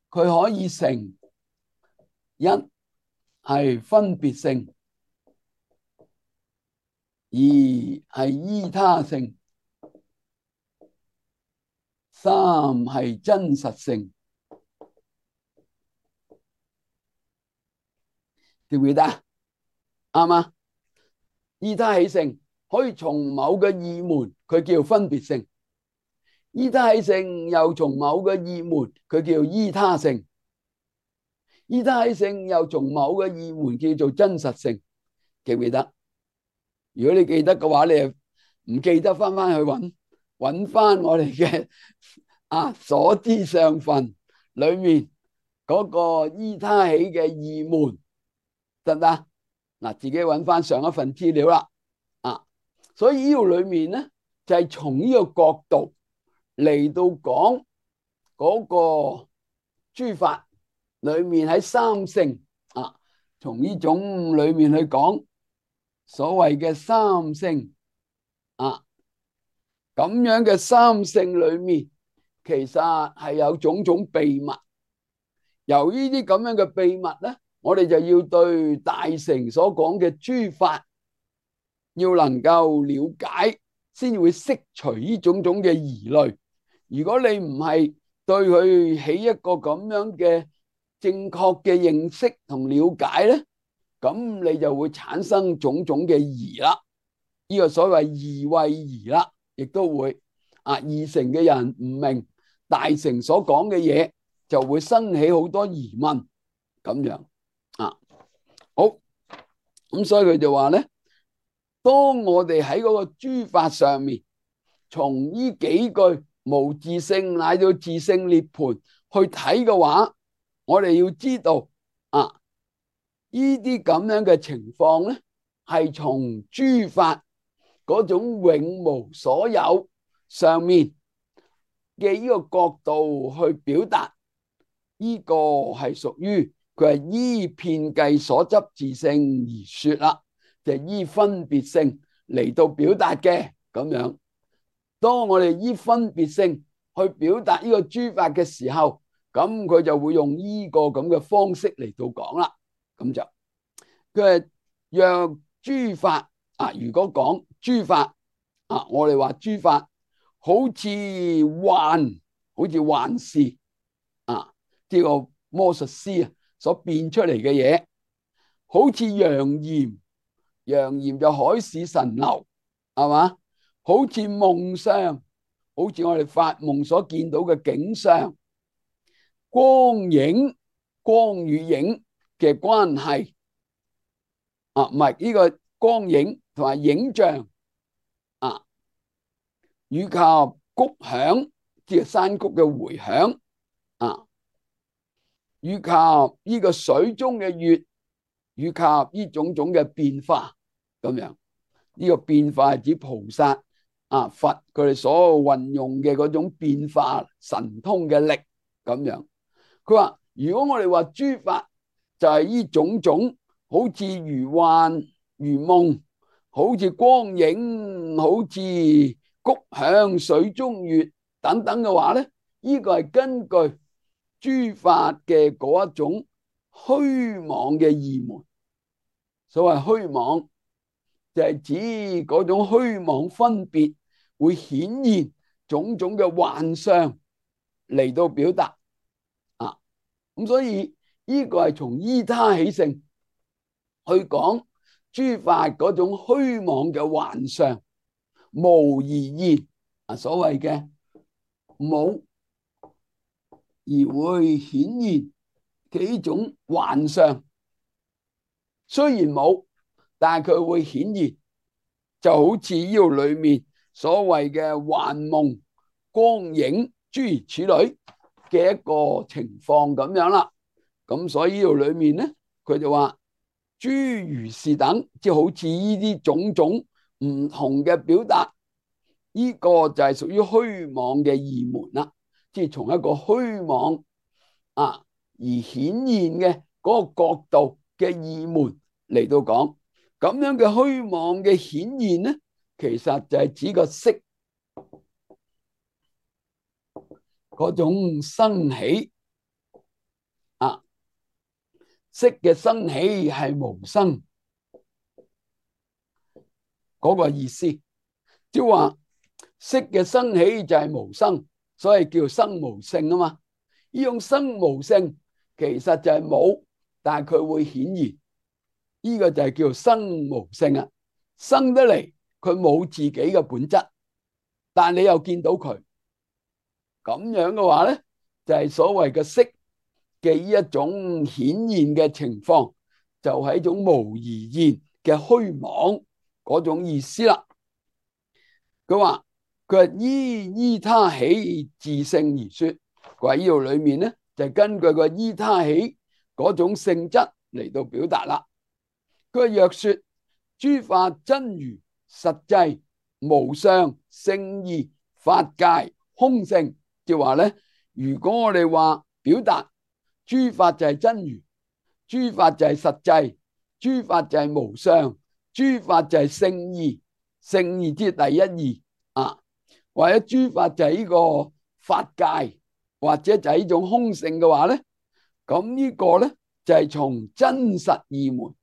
佢可以成一係分別性，二係依他性，三係真實性。記唔記得啊？啱嗎？依他起性可以從某個二門，佢叫分別性；依他起性又從某個二門，佢叫依他性；依他起性又從某個二門叫做真實性。記唔記得？如果你記得嘅話，你又唔記得翻去揾翻我哋嘅所知相分裏面嗰個依他起嘅二門，得唔得？嗱，自己揾翻上一份資料啦。所以呢度裏面咧，就係從呢個角度嚟到講嗰個諸法裏面喺三性從呢種裏面去講所謂嘅三性咁樣嘅三性裏面，其實係有種種秘密。由於啲咁樣嘅秘密咧，我哋就要對大乘所講嘅諸法要能夠了解，先會釋除呢種種嘅疑慮。如果你唔係對佢起一個咁樣嘅正確嘅認識同了解咧，咁你就會產生種種嘅疑啦。呢個所謂疑畏疑啦，亦都會二乘嘅人唔明大乘所講嘅嘢，就會生起好多疑問咁樣好，咁所以佢就話咧，當我哋喺嗰個諸法上面，從呢幾句無自性乃到自性涅槃去睇嘅話，我哋要知道呢啲咁樣嘅情況咧，係從諸法嗰種永無所有上面嘅呢個角度去表達，呢個係屬於佢係依遍計所執自性而說啦，就係依分別性嚟到表達嘅咁樣。當我哋依分別性去表達呢個諸法嘅時候，咁佢就會用呢個咁嘅方式嚟到講啦。咁就佢係若諸法如果講諸法我哋話諸法好似幻視呢個魔術師所變出嚟嘅嘢，好似陽焰就海市蜃樓，係嘛？好似夢相，好似我哋發夢所見到嘅景象，光與影嘅關係唔係呢個光影同埋影像以及谷響即係山谷嘅回響啊，以及呢個水中嘅月，以及呢種種嘅變化咁樣。呢個變化係指菩薩啊佛佢哋所運用嘅嗰種變化神通嘅力咁樣。佢話如果我哋話諸法就係呢種種，好似如幻如夢，好似光影，好似谷響水中月等等嘅話咧，呢個係根據諸法嘅嗰一種虛妄嘅義門。所謂虛妄就係指嗰種虛妄分別會顯現種種嘅幻象嚟到表達啊。咁所以呢個係從依他起性去講諸法嗰種虛妄嘅幻象，無而現啊，所謂嘅冇而會顯現幾種幻象，雖然冇，但係佢會顯現，就好似呢度裏面所謂嘅幻夢、光影諸如此類嘅一個情況咁樣啦。咁所以呢度裏面咧，佢就話諸如是等，即係好似呢啲種種唔同嘅表達，呢個就係屬於虛妄嘅義門啦。即係從一個虛妄啊而顯現嘅嗰個角度嘅義門嚟到講，咁樣嘅虛妄嘅顯現咧，其實就係指個色嗰種生起啊，色嘅生起係無生嗰個意思，即係話色嘅生起就係無生，所以叫生無性啊嘛。呢種生無性其實就係冇，但係佢會顯現，呢個就係叫生無性啊。生得嚟佢冇自己嘅本質，但係你又見到佢咁樣嘅話咧，就係所謂嘅色嘅呢一種顯現嘅情況，就係一種無而現嘅虛妄嗰種意思啦。佢話依他起自性而說，佢話呢度裏面咧就係根據個依他起嗰種性質嚟到表達啦。佢話若說諸法真如實際無相聖義法界空性，即係話咧，如果我哋話表達諸法就係真如，諸法就係實際，諸法就係無相，諸法就係聖義，聖義即係第一義啊，或者諸法就係呢個法界，或者就係呢種空性嘅話咧，咁呢個咧就係從真實義門，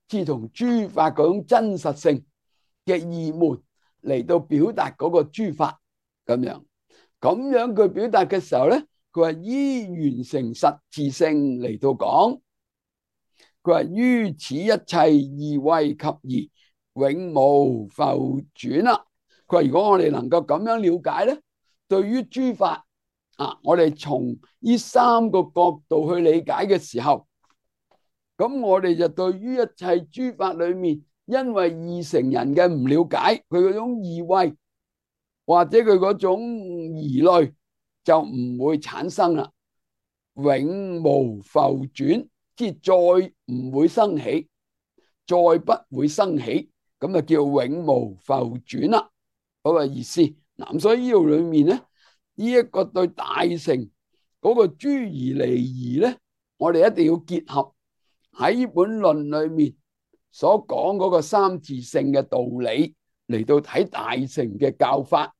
即係從諸法嗰種真實性嘅義門嚟到表達嗰個諸法咁樣。咁樣佢表達嘅時候咧，佢話依完成實自性嚟到講，佢話於此一切義惠及義永無復轉啦。佢話如果我哋能夠咁樣了解咧，對於諸法啊，我哋從呢三個角度去理解嘅時候，咁我哋就對於一切諸法裏面，因為二乘人嘅唔了解佢嗰種義惠，或者佢嗰種疑慮，就唔會產生啦，永無復轉，即係再唔會生起，再不會生起，咁就叫永無復轉啦，嗰個意思。嗱，所以呢度裏面咧，呢一個對大乘嗰個諸而離疑咧，我哋一定要結合喺呢本論裏面所講嗰個三自性嘅道理嚟到睇大乘嘅教法，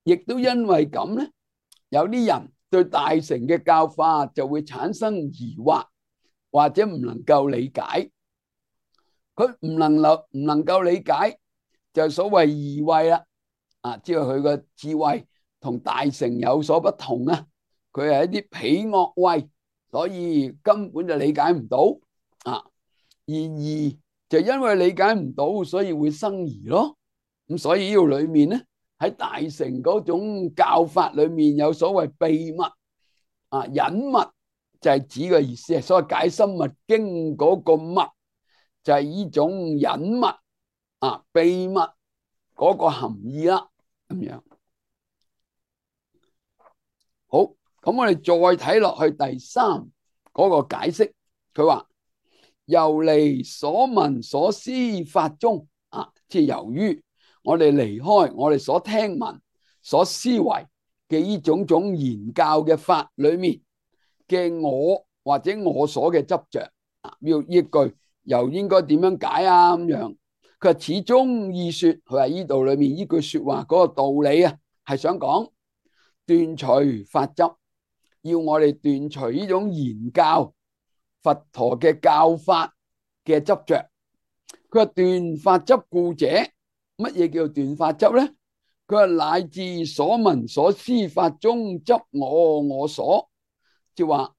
亦都因為咁咧，有啲人對大乘嘅教法就會產生疑惑，或者唔能夠理解。佢唔能夠理解，就所謂疑慧啦，啊，即係佢個智慧同大乘有所不同啊，佢係一啲彼惡慧，所以根本就理解唔到啊。而疑就因為理解唔到，所以會生疑咯。咁所以呢度裏面咧，喺大乘嗰種教法裏面有所謂秘密啊、隱密，就係指嘅意思係所謂解深密經嗰個密，就係呢種隱密啊、秘密嗰個含義啦。咁樣。好，咁我哋再睇落去第三嗰個解釋，佢話由離所聞所思法中啊，即係由於我哋離開我哋所聽聞、所思維嘅呢種種言教嘅法裏面嘅我或者我所嘅執着啊，要依句又應該點樣解啊？咁樣佢話始終意說，佢話呢度裏面呢句說話嗰個道理啊，係想講斷除法執。要我哋斷除呢種言教佛陀嘅教法嘅執着。佢話斷法執故者，乜嘢叫斷法執咧？佢話乃至所聞所思法中執我所，即係話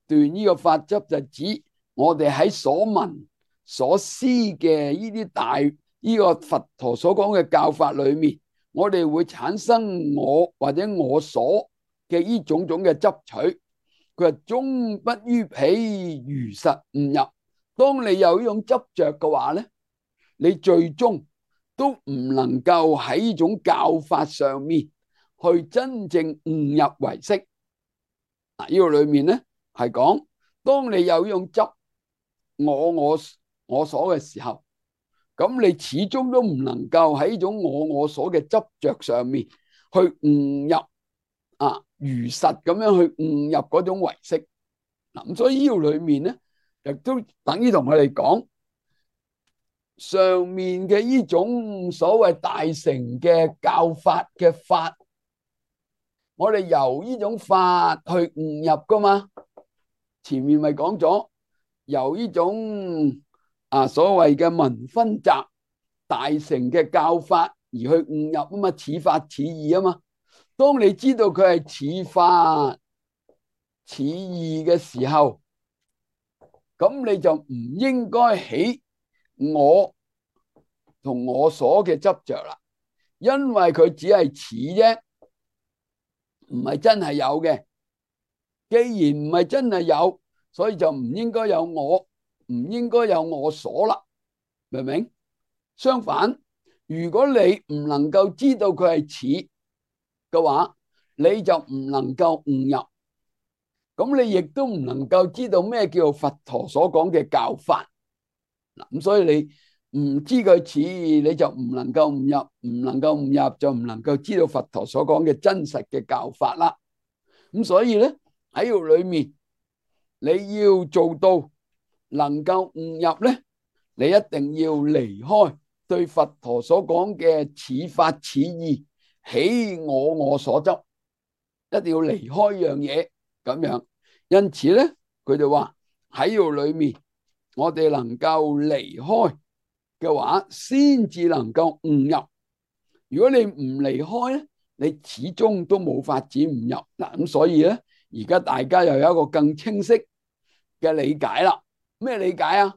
斷呢個法執就指我哋喺所聞所思嘅呢啲大呢個佛陀所講嘅教法裏面，我哋會產生我或者我所嘅呢種種嘅執取。佢話終不於彼如實悟入。當你有呢種執着嘅話咧，你最終都唔能夠喺呢種教法上面去真正悟入唯識。嗱，呢個裏面咧係講，當你有呢種執我所嘅時候，咁你始終都唔能夠喺呢種我所嘅執着上面去悟入啊，如實咁樣去悟入嗰種唯識。嗱，咁所以呢個裏面咧，亦都等於同我哋講上面嘅呢種所謂大乘嘅教法嘅法，我哋由呢種法去悟入噶嘛。前面咪講咗由呢種所謂嘅文分集大乘嘅教法而去悟入啊嘛，似法似義啊嘛。當你知道佢係似法似義嘅時候，咁你就唔應該起我同我所嘅執着啦，因為佢只係似啫，唔係真係有嘅。既然唔係真係有，所以就唔應該有我，唔應該有我所啦，明唔明？相反，如果你唔能夠知道佢係似嘅話，你就唔能夠悟入，咁你亦都唔能夠知道咩叫佛陀所講嘅教法。嗱，咁所以你唔知佢似，你就唔能夠悟入，唔能夠悟入就唔能夠知道佛陀所講嘅真實嘅教法啦。咁所以咧喺度裏面，你要做到能夠悟入咧，你一定要離開對佛陀所講嘅似法似義起我所執，一定要離開樣嘢咁樣。因此咧，佢哋話喺度裏面，我哋能夠離開嘅話，先至能夠悟入。如果你唔離開咧，你始終都冇法子悟入。嗱，咁所以咧，而家大家又有一個更清晰嘅理解啦。咩理解啊？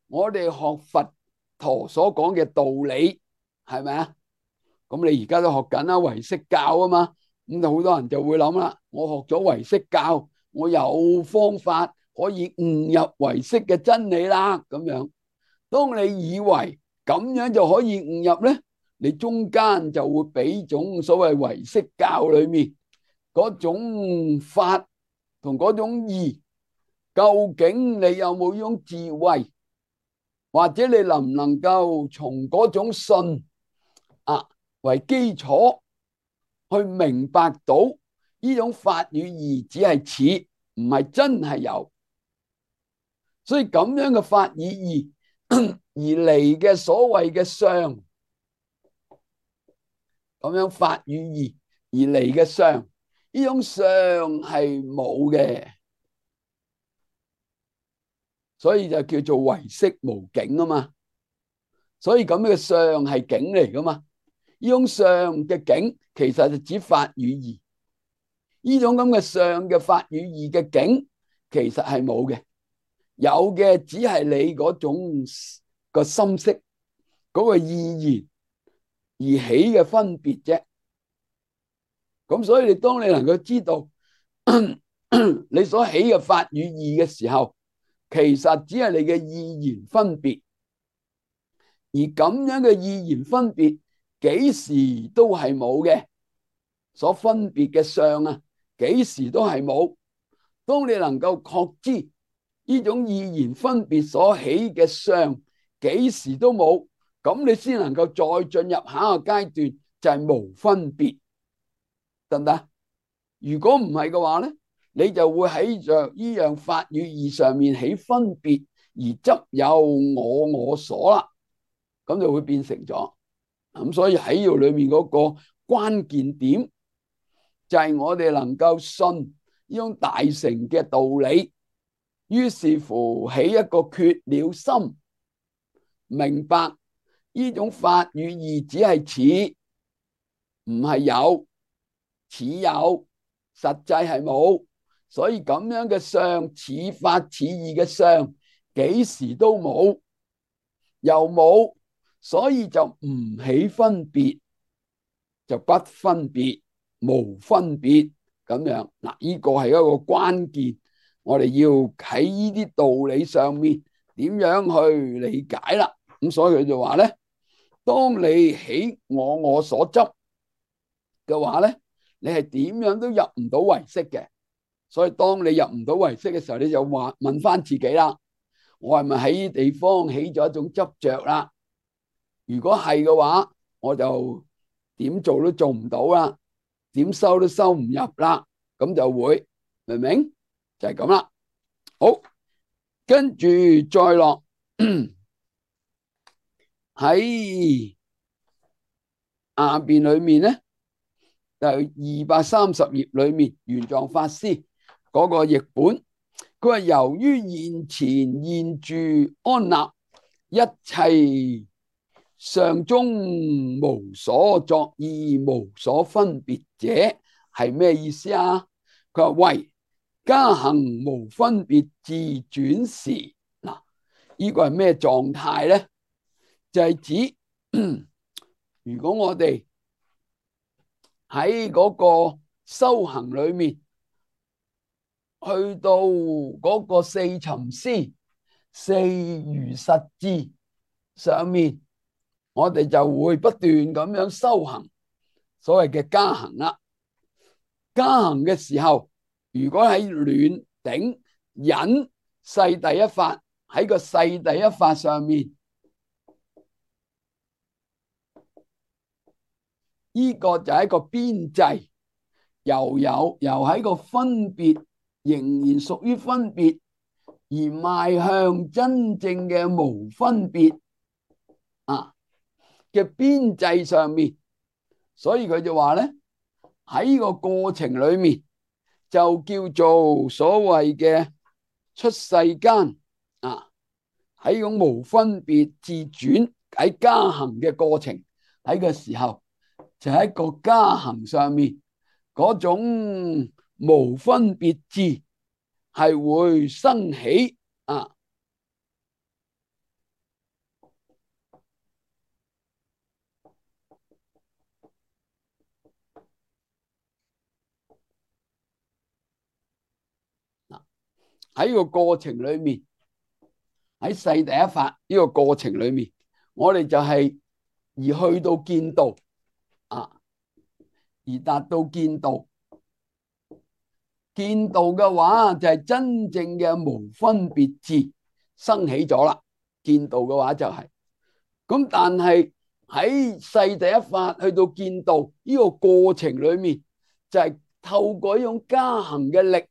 我哋學佛陀所講嘅道理，係咪啊？咁你而家都學緊啦，唯識教啊嘛。咁就好多人就會諗啦，我學咗唯識教，我有方法可以悟入唯識嘅真理啦。咁樣，當你以為咁樣就可以悟入咧，你中間就會俾種所謂唯識教裏面嗰種法同嗰種義，究竟你有冇呢種智慧，或者你能唔能夠從嗰種信為基礎去明白到呢種法與義只係似，唔係真係有。所以咁樣嘅法與義而嚟嘅所謂嘅相，咁樣法與義而嚟嘅相，呢種相係冇嘅，所以就叫做唯識無境啊嘛。所以咁樣嘅相係境嚟噶嘛。呢種相嘅境其實就指法與義，呢種咁嘅相嘅法與義嘅境其實係冇嘅，有嘅只係你嗰種個心識嗰個意言而起嘅分別啫。咁所以你當你能夠知道你所起嘅法與義嘅時候，其實只係你嘅意言分別，而咁樣嘅意言分別幾時都係冇嘅，所分別嘅相啊，幾時都係冇。當你能夠確知呢種意然分別所起嘅相幾時都冇，咁你先能夠再進入下一個階段，就係無分別，得唔得？如果唔係嘅話咧，你就會喺着呢樣法與義上面起分別，而執有我所啦，咁就會變成咗。咁所以喺呢度裏面嗰個關鍵點就係我哋能夠信呢種大乘嘅道理，於是乎起一個決了心，明白呢種法與義只係似，唔係有，似有，實際係冇。所以咁樣嘅相，似法似義嘅相，幾時都冇，又冇，所以就唔起分別，就不分別，無分別咁樣。嗱，呢個係一個關鍵，我哋要喺呢啲道理上面點樣去理解啦。咁所以佢就話咧，當你起我所執嘅話咧，你係點樣都入唔到唯識嘅。所以當你入唔到唯識嘅時候，你就話問翻自己啦，我係咪喺呢地方起咗一種執着啦？如果係嘅話，我就點做都做唔到啦，點收都收唔入啦，咁就會，明唔明？就係咁啦。好，跟住再落喺下邊裏面咧，就230頁裏面，玄奘法師嗰個譯本，佢話由於現前現住安立一切相中無所作意，無所分別者，係咩意思啊？佢話為加行無分別自轉時，嗱，呢個係咩狀態咧？就係指如果我哋喺嗰個修行裏面，去到嗰個四尋思、四如實智上面，我哋就會不斷咁樣修行，所謂嘅加行啦。加行嘅時候，如果喺暖頂忍世第一法，喺個世第一法上面，呢個就係一個邊際，又喺個分別，仍然屬於分別，而邁向真正嘅無分別嘅邊際上面。所以佢就話咧，喺呢個過程裏面就叫做所謂嘅出世間喺種無分別自轉喺加行嘅過程，喺個時候就喺個加行上面嗰種無分別智係會生起喺個過程裏面，喺世第一法呢個過程裏面，我哋就係而去到見道而達到見道。見道嘅話就係真正嘅無分別智生起咗啦。見道嘅話就係咁，但係喺世第一法去到見道呢個過程裏面，就係透過呢種加行嘅力，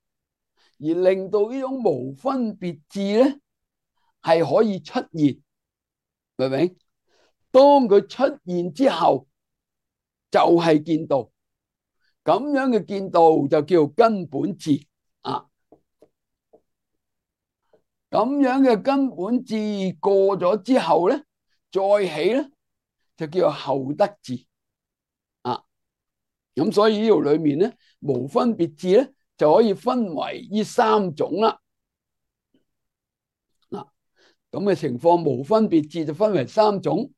而令到呢種無分別智咧係可以出現，明唔明？當佢出現之後，就係見道。咁樣嘅見道就叫根本智咁樣嘅根本智過咗之後咧，再起咧就叫做後得智咁所以呢度裏面咧，無分別智咧就可以分為呢三種啦。咁嘅情況，無分別智就分為三種。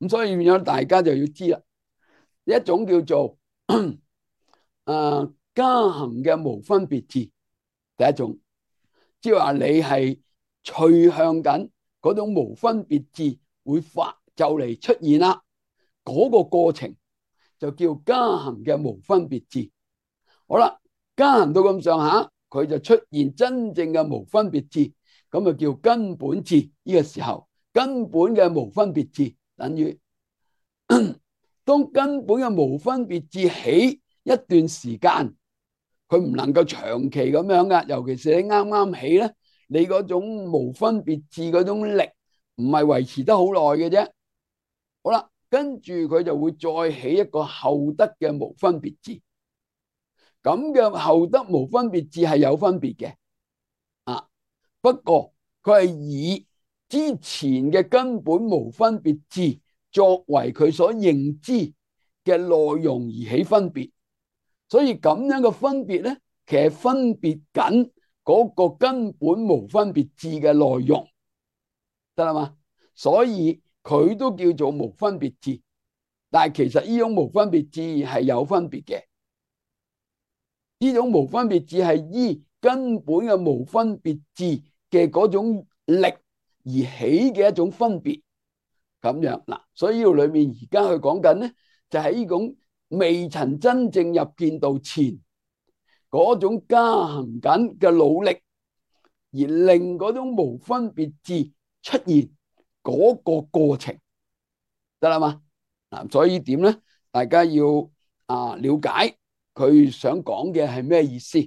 咁所以變咗大家就要知啦。一種叫做加行嘅無分別智，第一種，即係話你係趨向緊嗰種無分別智會就嚟出現啦，嗰個過程就叫加行嘅無分別智。好啦，加行到咁上下，佢就出現真正嘅無分別智，咁就叫根本智。呢個時候根本嘅無分別智等於當根本嘅無分別智起一段時間，佢唔能夠長期咁樣噶，尤其是你啱啱起咧，你嗰種無分別智嗰種力唔係維持得好耐嘅啫。好啦，跟住佢就會再起一個後得嘅無分別智，咁嘅後得無分別智係有分別嘅啊。不過佢係以之前嘅根本無分別智作為佢所認知嘅內容而起分別，所以咁樣嘅分別咧，其實分別緊嗰個根本無分別智嘅內容，得啦嘛？所以佢都叫做無分別智，但係其實呢種無分別智係有分別嘅。呢種無分別智係依根本嘅無分別智嘅嗰種力而起嘅一種分別，咁樣嗱。所以呢度裏面而家佢講緊咧，就係呢種未曾真正入見道前嗰種加行緊嘅努力，而令嗰種無分別智出現嗰個過程，得啦嘛？嗱，所以點咧？大家要了解佢想講嘅係咩意思？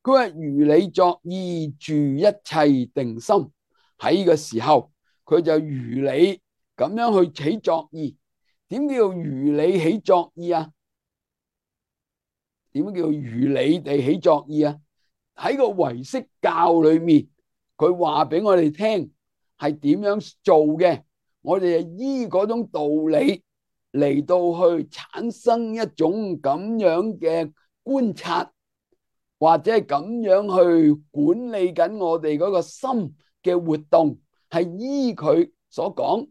佢話如理作意住一切定心，喺呢個時候佢就如理咁樣去起作意。點叫如理起作意啊？點叫如理地起作意啊？喺個唯識教裏面，佢話俾我哋聽係點樣做嘅，我哋就依嗰種道理嚟到去產生一種咁樣嘅觀察，或者係咁樣去管理緊我哋嗰個心嘅活動，係依佢所講。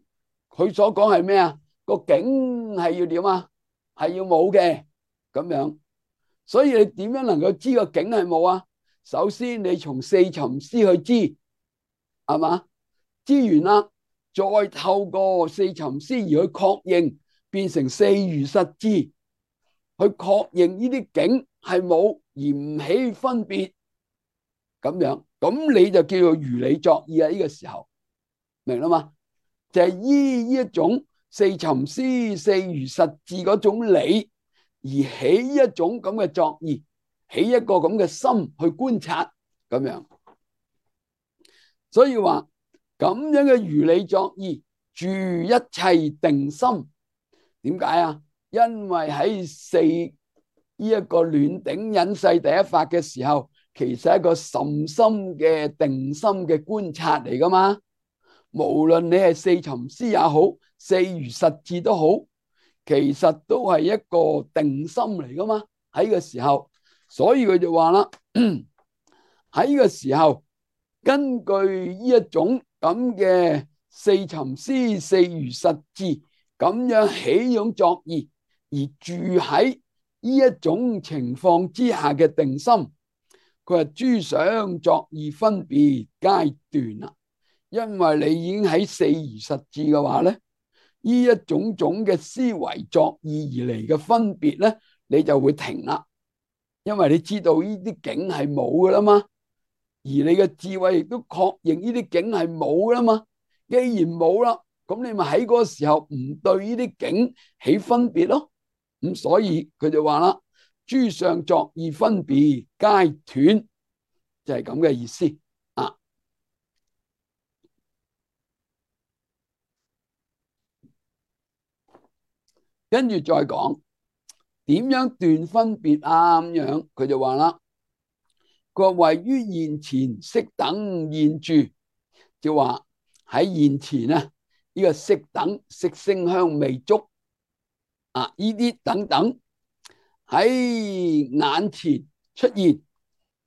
佢所講係咩啊？個境係要點啊？係要冇嘅咁樣。所以你點樣能夠知個境係冇啊？首先你從四尋思去知，係嘛？知完啦，再透過四尋思而去確認，變成四如實知，去確認呢啲境係冇而唔起分別，咁樣，咁你就叫做如理作意啊！呢個時候明啦嘛？就係依呢一種四尋思、四如實知嗰種理，而起一種咁嘅作意，起一個咁嘅心去觀察，咁樣。所以話咁樣嘅如理作意住一切定心，點解啊？因為喺四呢一個暖頂隱世第一法嘅時候，其實係一個甚深嘅定心嘅觀察嚟噶嘛。無論你係四尋思也好，四如實知都好，其實都係一個定心嚟噶嘛。喺呢個時候，所以佢就話啦，喺呢個時候，根據呢一種咁嘅四尋思、四如實知咁樣起種作意，而住喺呢一種情況之下嘅定心，佢話諸想作意分別皆斷啦。因為你已經喺四如實知嘅話咧，呢一種種嘅思維作意而嚟嘅分別咧，你就會停啦。因為你知道呢啲境係冇噶啦嘛，而你嘅智慧亦都確認呢啲境係冇噶啦嘛。既然冇啦，咁你咪喺嗰個時候唔對呢啲境起分別咯。咁所以佢就話啦，諸相作意分別皆斷，就係咁嘅意思。跟住再講點樣斷分別啊？咁樣佢就話啦，佢話位於現前色等現住，就話喺現前啊，呢個色等色聲香味觸啊，呢啲等等喺眼前出現，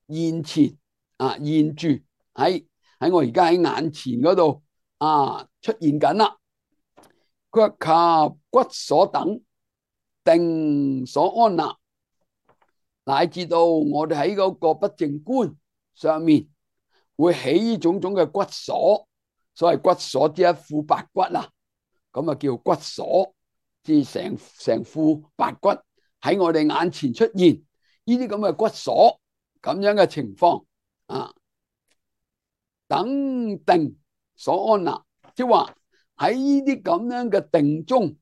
現前現住喺我而家喺眼前嗰度出現緊啦。佢話及骨所等定所安立，乃至到我哋喺嗰個不淨觀上面會起種種嘅骨鎖，所謂骨鎖之一副白骨啊，咁啊叫骨鎖，即係成副白骨喺我哋眼前出現，呢啲咁嘅骨鎖咁樣嘅情況啊，等定所安立，即係話喺呢啲咁樣嘅定中，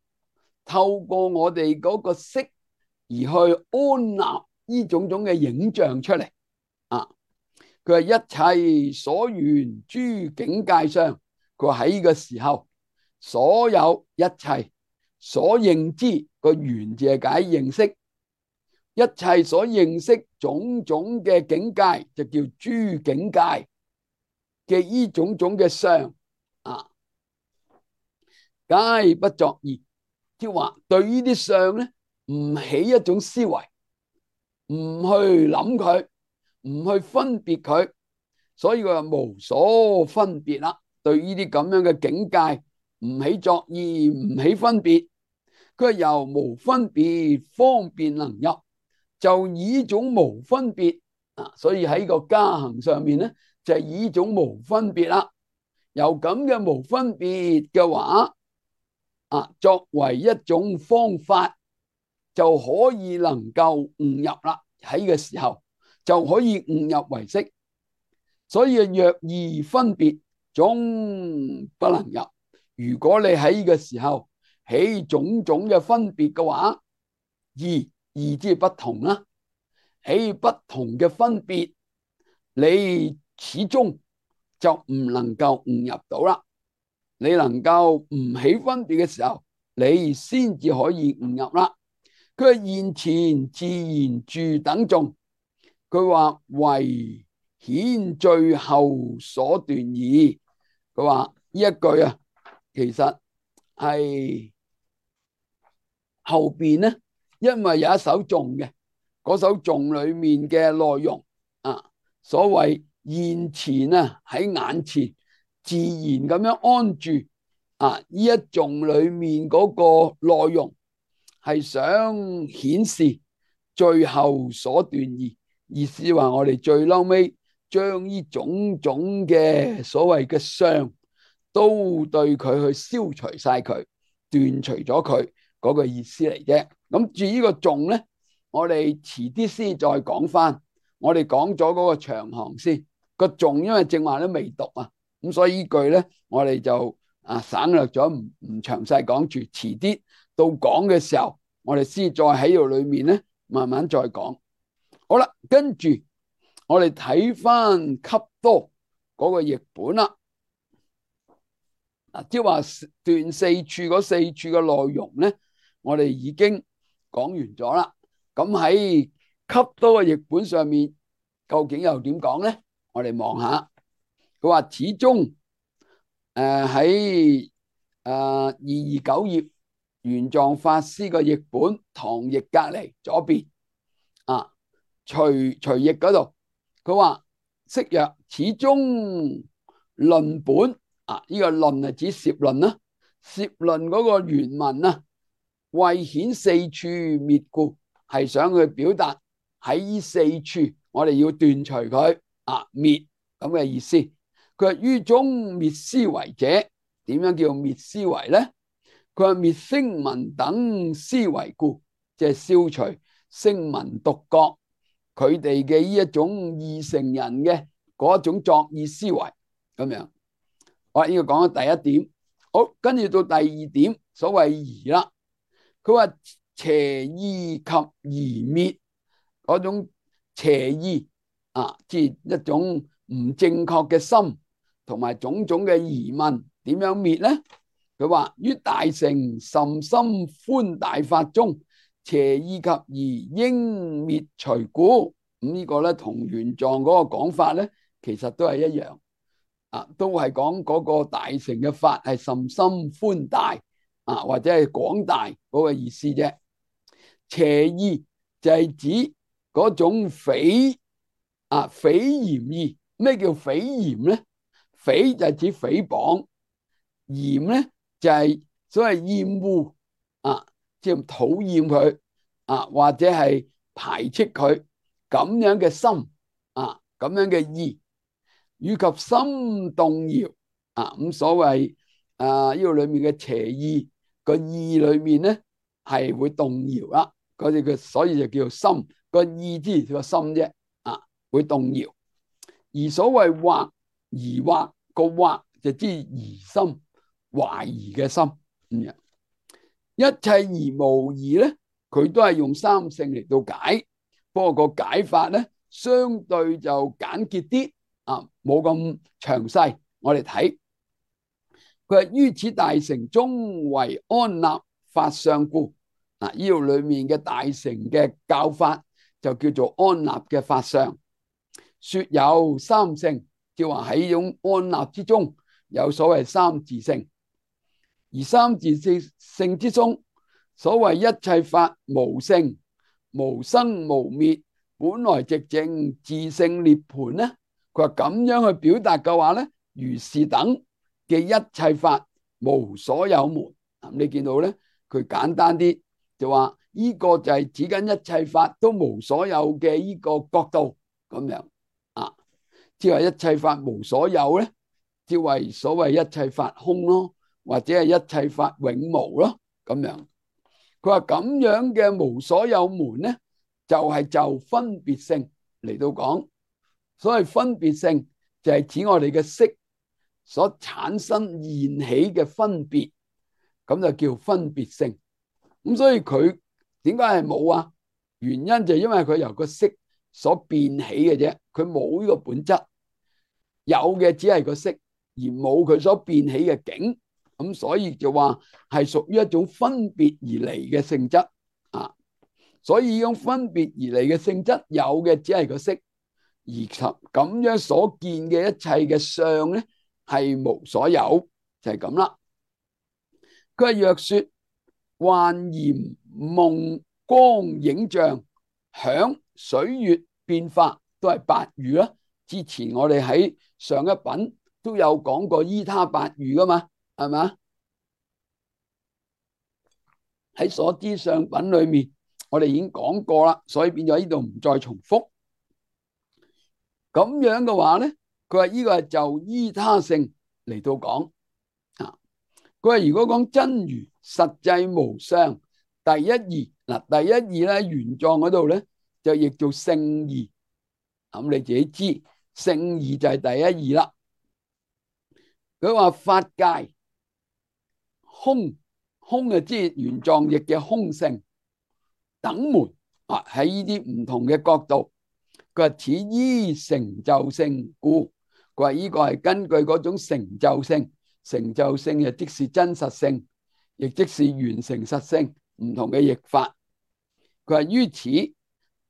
透過我哋嗰個色而去安立呢種種嘅影像出嚟啊。佢話一切所緣諸境界相，佢話喺呢個時候，所有一切所認知個緣字係解認識，一切所認識種種嘅境界就叫諸境界嘅呢種種嘅相啊，皆不作意，即係話對呢啲相咧唔起一種思維，唔去諗佢，唔去分別佢，所以佢話無所分別啦。對呢啲咁樣嘅境界唔起作意，唔起分別，佢係由無分別方便能入，就以呢種無分別啊，所以喺個加行上面咧就係以呢種無分別啦。由咁嘅無分別嘅話啊，作為一種方法，就可以能夠悟入啦。喺嘅時候就可以悟入為識，所以若二分別總不能入。如果你喺呢個時候起種種嘅分別嘅話，二之不同啦，起不同嘅分別，你始終就唔能夠悟入到啦。你能夠唔起分別嘅時候，你先至可以悟入啦。佢係現前自然住等眾，佢話唯顯最後所斷義。佢話呢一句啊，其實係後邊咧，因為有一首頌嘅，嗰首頌裏面嘅內容啊，所謂現前啊喺眼前自然咁樣安住啊，呢一頌裏面嗰個內容係想顯示最後所斷義，意思話我哋最嬲尾將呢種種嘅所謂嘅相都對佢去消除晒佢，斷除咗佢嗰個意思嚟啫。咁至於呢個頌咧，我哋遲啲先再講翻。我哋講咗嗰個長行先，個頌因為正話都未讀啊，咁所以呢句咧我哋就省略咗，唔詳細講住，遲啲到講嘅時候，我哋先再喺度裏面咧慢慢再講。好啦，跟住我哋睇翻笈多嗰個譯本啦。即係話斷四處嗰四處嘅內容咧，我哋已經講完咗啦。咁喺笈多嘅譯本上面，究竟又點講咧？我哋望下，佢話始終喺229頁玄奘法師嘅譯本唐譯隔籬左邊啊，隨譯嗰度，佢話釋曰始終論本。呢個論係指攝論啦，攝論嗰個原文啊，為顯四處滅故，係想去表達喺呢四處我哋要斷除佢滅咁嘅意思。佢話於中滅思維者，點樣叫滅思維咧？佢話滅聲聞等思維故，即係消除聲聞獨覺佢哋嘅呢一種二乘人嘅嗰一種作意思維咁樣。我呢個講咗第一點，好，跟住到第二點，所謂疑啦。佢話邪意及疑滅嗰種邪意即係一種唔正確嘅心，同埋種種嘅疑問，點樣滅咧？佢話於大乘甚深寬大法中，邪意及疑應滅除故。咁呢個咧同玄奘嗰個講法咧，其實都係一樣。都係講嗰個大乘嘅法係甚深寬大或者係廣大嗰個意思啫。邪意就係指嗰種誹嫌意。咩叫誹嫌咧？誹就係指誹謗，嫌咧就係所謂厭惡即係討厭佢或者係排斥佢咁樣嘅心咁樣嘅意，以及心動搖啊。咁所謂呢個裏面嘅邪意個意裏面咧係會動搖啦。嗰啲所以就叫做心，個意之個心啫啊，會動搖。而所謂惑疑惑個惑就知疑心，懷疑嘅心咁樣。一切而無疑咧，佢都係用三性嚟到解，不過個解法咧相對就簡潔啲啊，冇咁詳細。我哋睇佢係於此大乘中為安立法相故。嗱，呢度裏面嘅大乘嘅教法就叫做安立嘅法相。說有三性，即係話喺呢種安立之中有所謂三自性。而三自性之中，所謂一切法無性、無生無滅，本來寂靜自性涅槃咧。佢話咁樣去表達嘅話咧，如是等嘅一切法無所有門。你見到咧，佢簡單啲就話呢個就係指緊一切法都無所有嘅呢個角度咁樣啊。即係話一切法無所有咧，即係所謂一切法空咯，或者係一切法永無咯咁樣。佢話咁樣嘅無所有門咧，就係就分別性嚟到講。所謂分別性就係指我哋嘅識所產生現起嘅分別，咁就叫分別性。咁所以佢點解係冇啊？原因就係因為佢由個識所變起嘅啫，佢冇呢個本質，有嘅只係個識，而冇佢所變起嘅境。咁所以就話係屬於一種分別而嚟嘅性質啊。所以呢種分別而嚟嘅性質，有嘅只係個識。而咁樣所見嘅一切嘅相咧，係無所有，就係咁啦。佢係若說幻焰夢光影像響水月變化都係八喻啦。之前我哋喺上一品都有講過依他八喻噶嘛，係咪？喺所知上品裏面，我哋已經講過啦，所以變咗呢度唔再重複。咁樣嘅話咧，佢話呢個係就依他性嚟到講啊。佢話如果講真如實際無相第一義，嗱，第一義咧原狀嗰度咧就譯做聖義，咁你自己知聖義就係第一義啦。佢話法界空，空嘅即係原狀譯嘅空性等門啊，喺呢啲唔同嘅角度。佢話此依成就性故，佢話呢個係根據嗰種成就性，成就性亦即是真實性，亦即是完成實性，唔同嘅譯法。佢話於此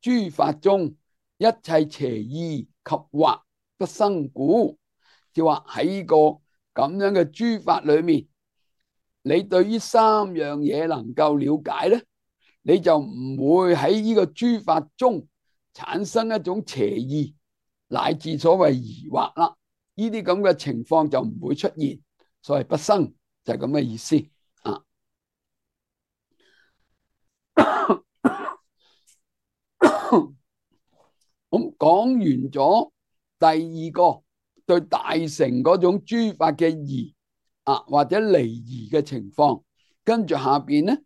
諸法中一切邪意及惑不生故，即係話喺呢個咁樣嘅諸法裏面，你對於三樣嘢能夠了解咧，你就唔會喺呢個諸法中產生一種邪意，乃至所謂疑惑啦。呢啲咁嘅情況就唔會出現，所謂不生就係咁嘅意思啊。咁講完咗第二個對大乘嗰種諸法嘅疑啊，或者離疑嘅情況，跟住下邊咧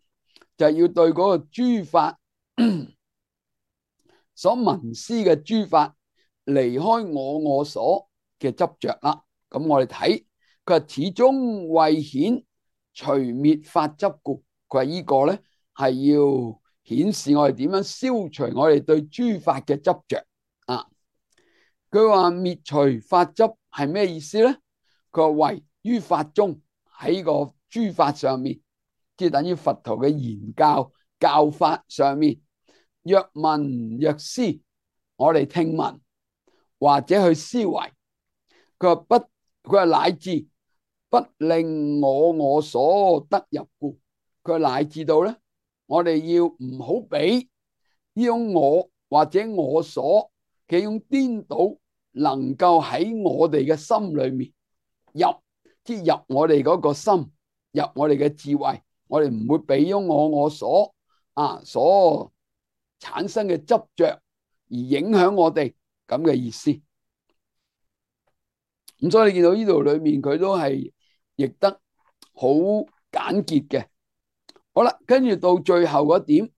就要對嗰個諸法所聞思嘅諸法離開我所嘅執着啦。咁我哋睇佢話始終為顯除滅法執故，佢話呢個咧係要顯示我哋點樣消除我哋對諸法嘅執着啊。佢話滅除法執係咩意思咧？佢話唯於法中，喺個諸法上面，即係等於佛陀嘅言教教法上面，若聞若思，我哋聽聞或者去思維，佢話不，佢話乃至不令我所得入故，佢話乃至到咧，我哋要唔好俾呢種我或者我所嘅種顛倒，能夠喺我哋嘅心裏面入，即係入我哋嗰個心，入我哋嘅智慧，我哋唔會俾咗我所所產生嘅執着而影響我哋咁嘅意思咁所以你見到呢度裏面佢都係譯得好簡潔嘅。好啦，跟住到最後嗰點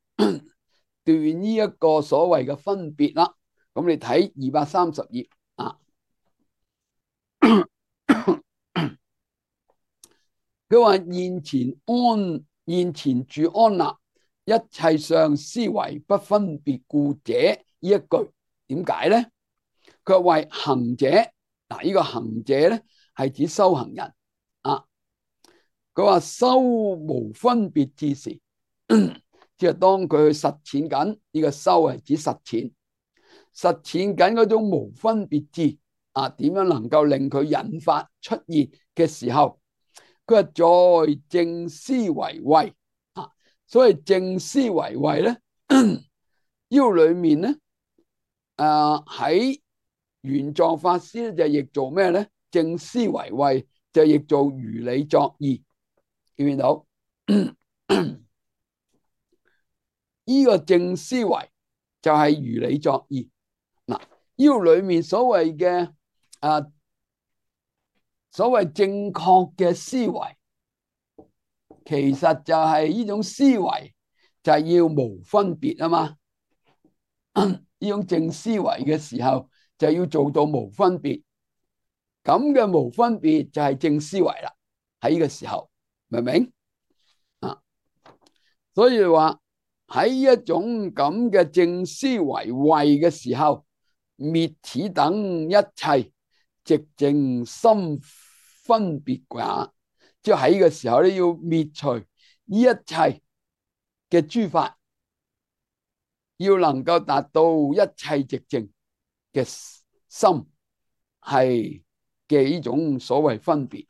斷呢一個所謂嘅分別啦。咁你睇230頁啊，佢話現前住安立，一切相思惟不分別故者，呢一句點解咧？佢話為行者，嗱，呢個行者咧係指修行人啊。佢話修無分別之時，即係當佢去實踐緊呢個修係指實踐緊嗰種無分別智啊，點樣能夠令佢引發出現嘅時候，佢話在正思惟慧啊。所謂正思惟慧咧，呢裏面咧喺玄奘法師咧就譯做咩咧？正思惟慧就譯做如理作意，見唔見到？呢個正思惟就係如理作意。嗱，呢個裏面所謂嘅所謂正確嘅思維，其實就係呢種思維就係要無分別啊嘛。呢種正思維嘅時候就要做到無分別，咁嘅無分別就係正思維啦。喺呢個時候，明唔明啊？所以話喺一種咁嘅正思惟慧嘅時候，滅此等一切寂靜心分別也。即係喺呢個時候咧，要滅除呢一切嘅諸法，要能夠達到一切寂靜嘅心係嘅呢種所謂分別，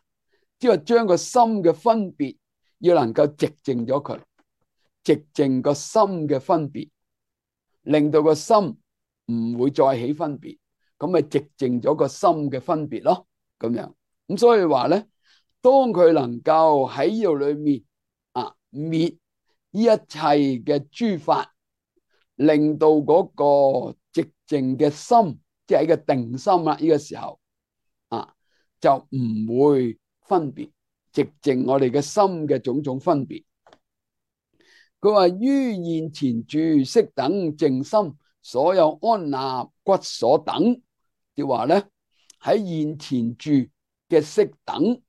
即係將個心嘅分別要能夠寂靜咗佢，寂靜個心嘅分別，令到個心唔會再起分別，咁咪寂靜咗個心嘅分別咯。咁樣咁所以話咧，當佢能夠喺呢度裏面滅呢一切嘅諸法，令到嗰個寂靜嘅心，即係一個定心啦。呢個時候就唔會分別，寂靜我哋嘅心嘅種種分別。佢話於現前住色等淨心，所有安立骨所等，即係話咧喺現前住嘅色等，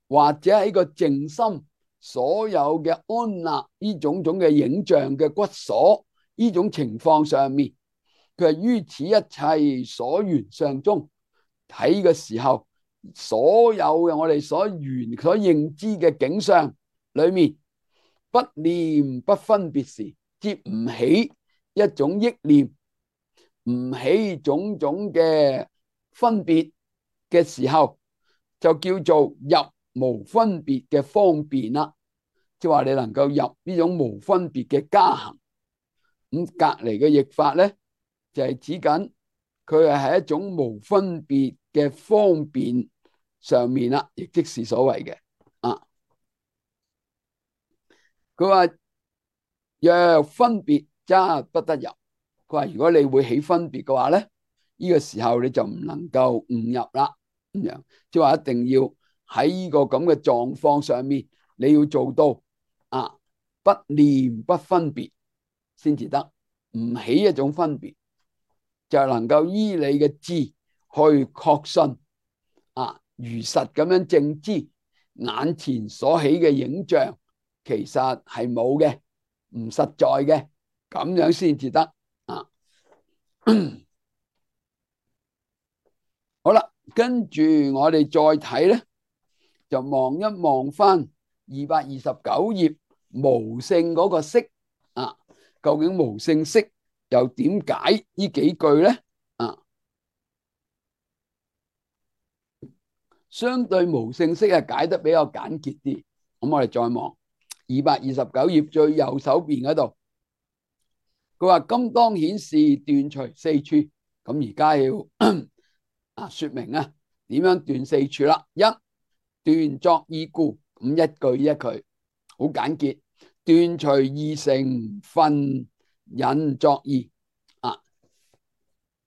或者喺個淨心所有嘅安立呢種種嘅影像嘅骨所呢種情況上面，佢係於此一切所緣相中，睇嘅時候，所有嘅我哋所緣所認知嘅景象裏面，不念不分別時，接唔起一種憶念，唔起種種嘅分別嘅時候，就叫做入無分別嘅方便啦。即係話你能夠入呢種無分別嘅加行。咁隔籬嘅譯法咧，就係指緊佢係喺一種無分別嘅方便上面啦，亦即是所謂嘅佢話若分別則不得入。佢話如果你會起分別嘅話咧，呢個時候你就唔能夠悟入啦。咁樣即係話一定要喺呢個咁嘅狀況上面，你要做到不念不分別先至得，唔起一種分別，就能夠依你嘅智去確信如實咁樣正知眼前所起嘅影像其實係冇嘅，唔實在嘅，咁樣先至得好啦，跟住我哋再睇咧，就望一望翻229頁無性嗰個色究竟無性色又點解呢幾句咧？相對無性色解得比較簡潔啲。咁我哋再望229頁最右手邊嗰度，佢話今當顯示斷除四處。咁而家要說明點樣斷四處啦。一斷作意故，咁一句一句好簡潔。斷除二乘分引作意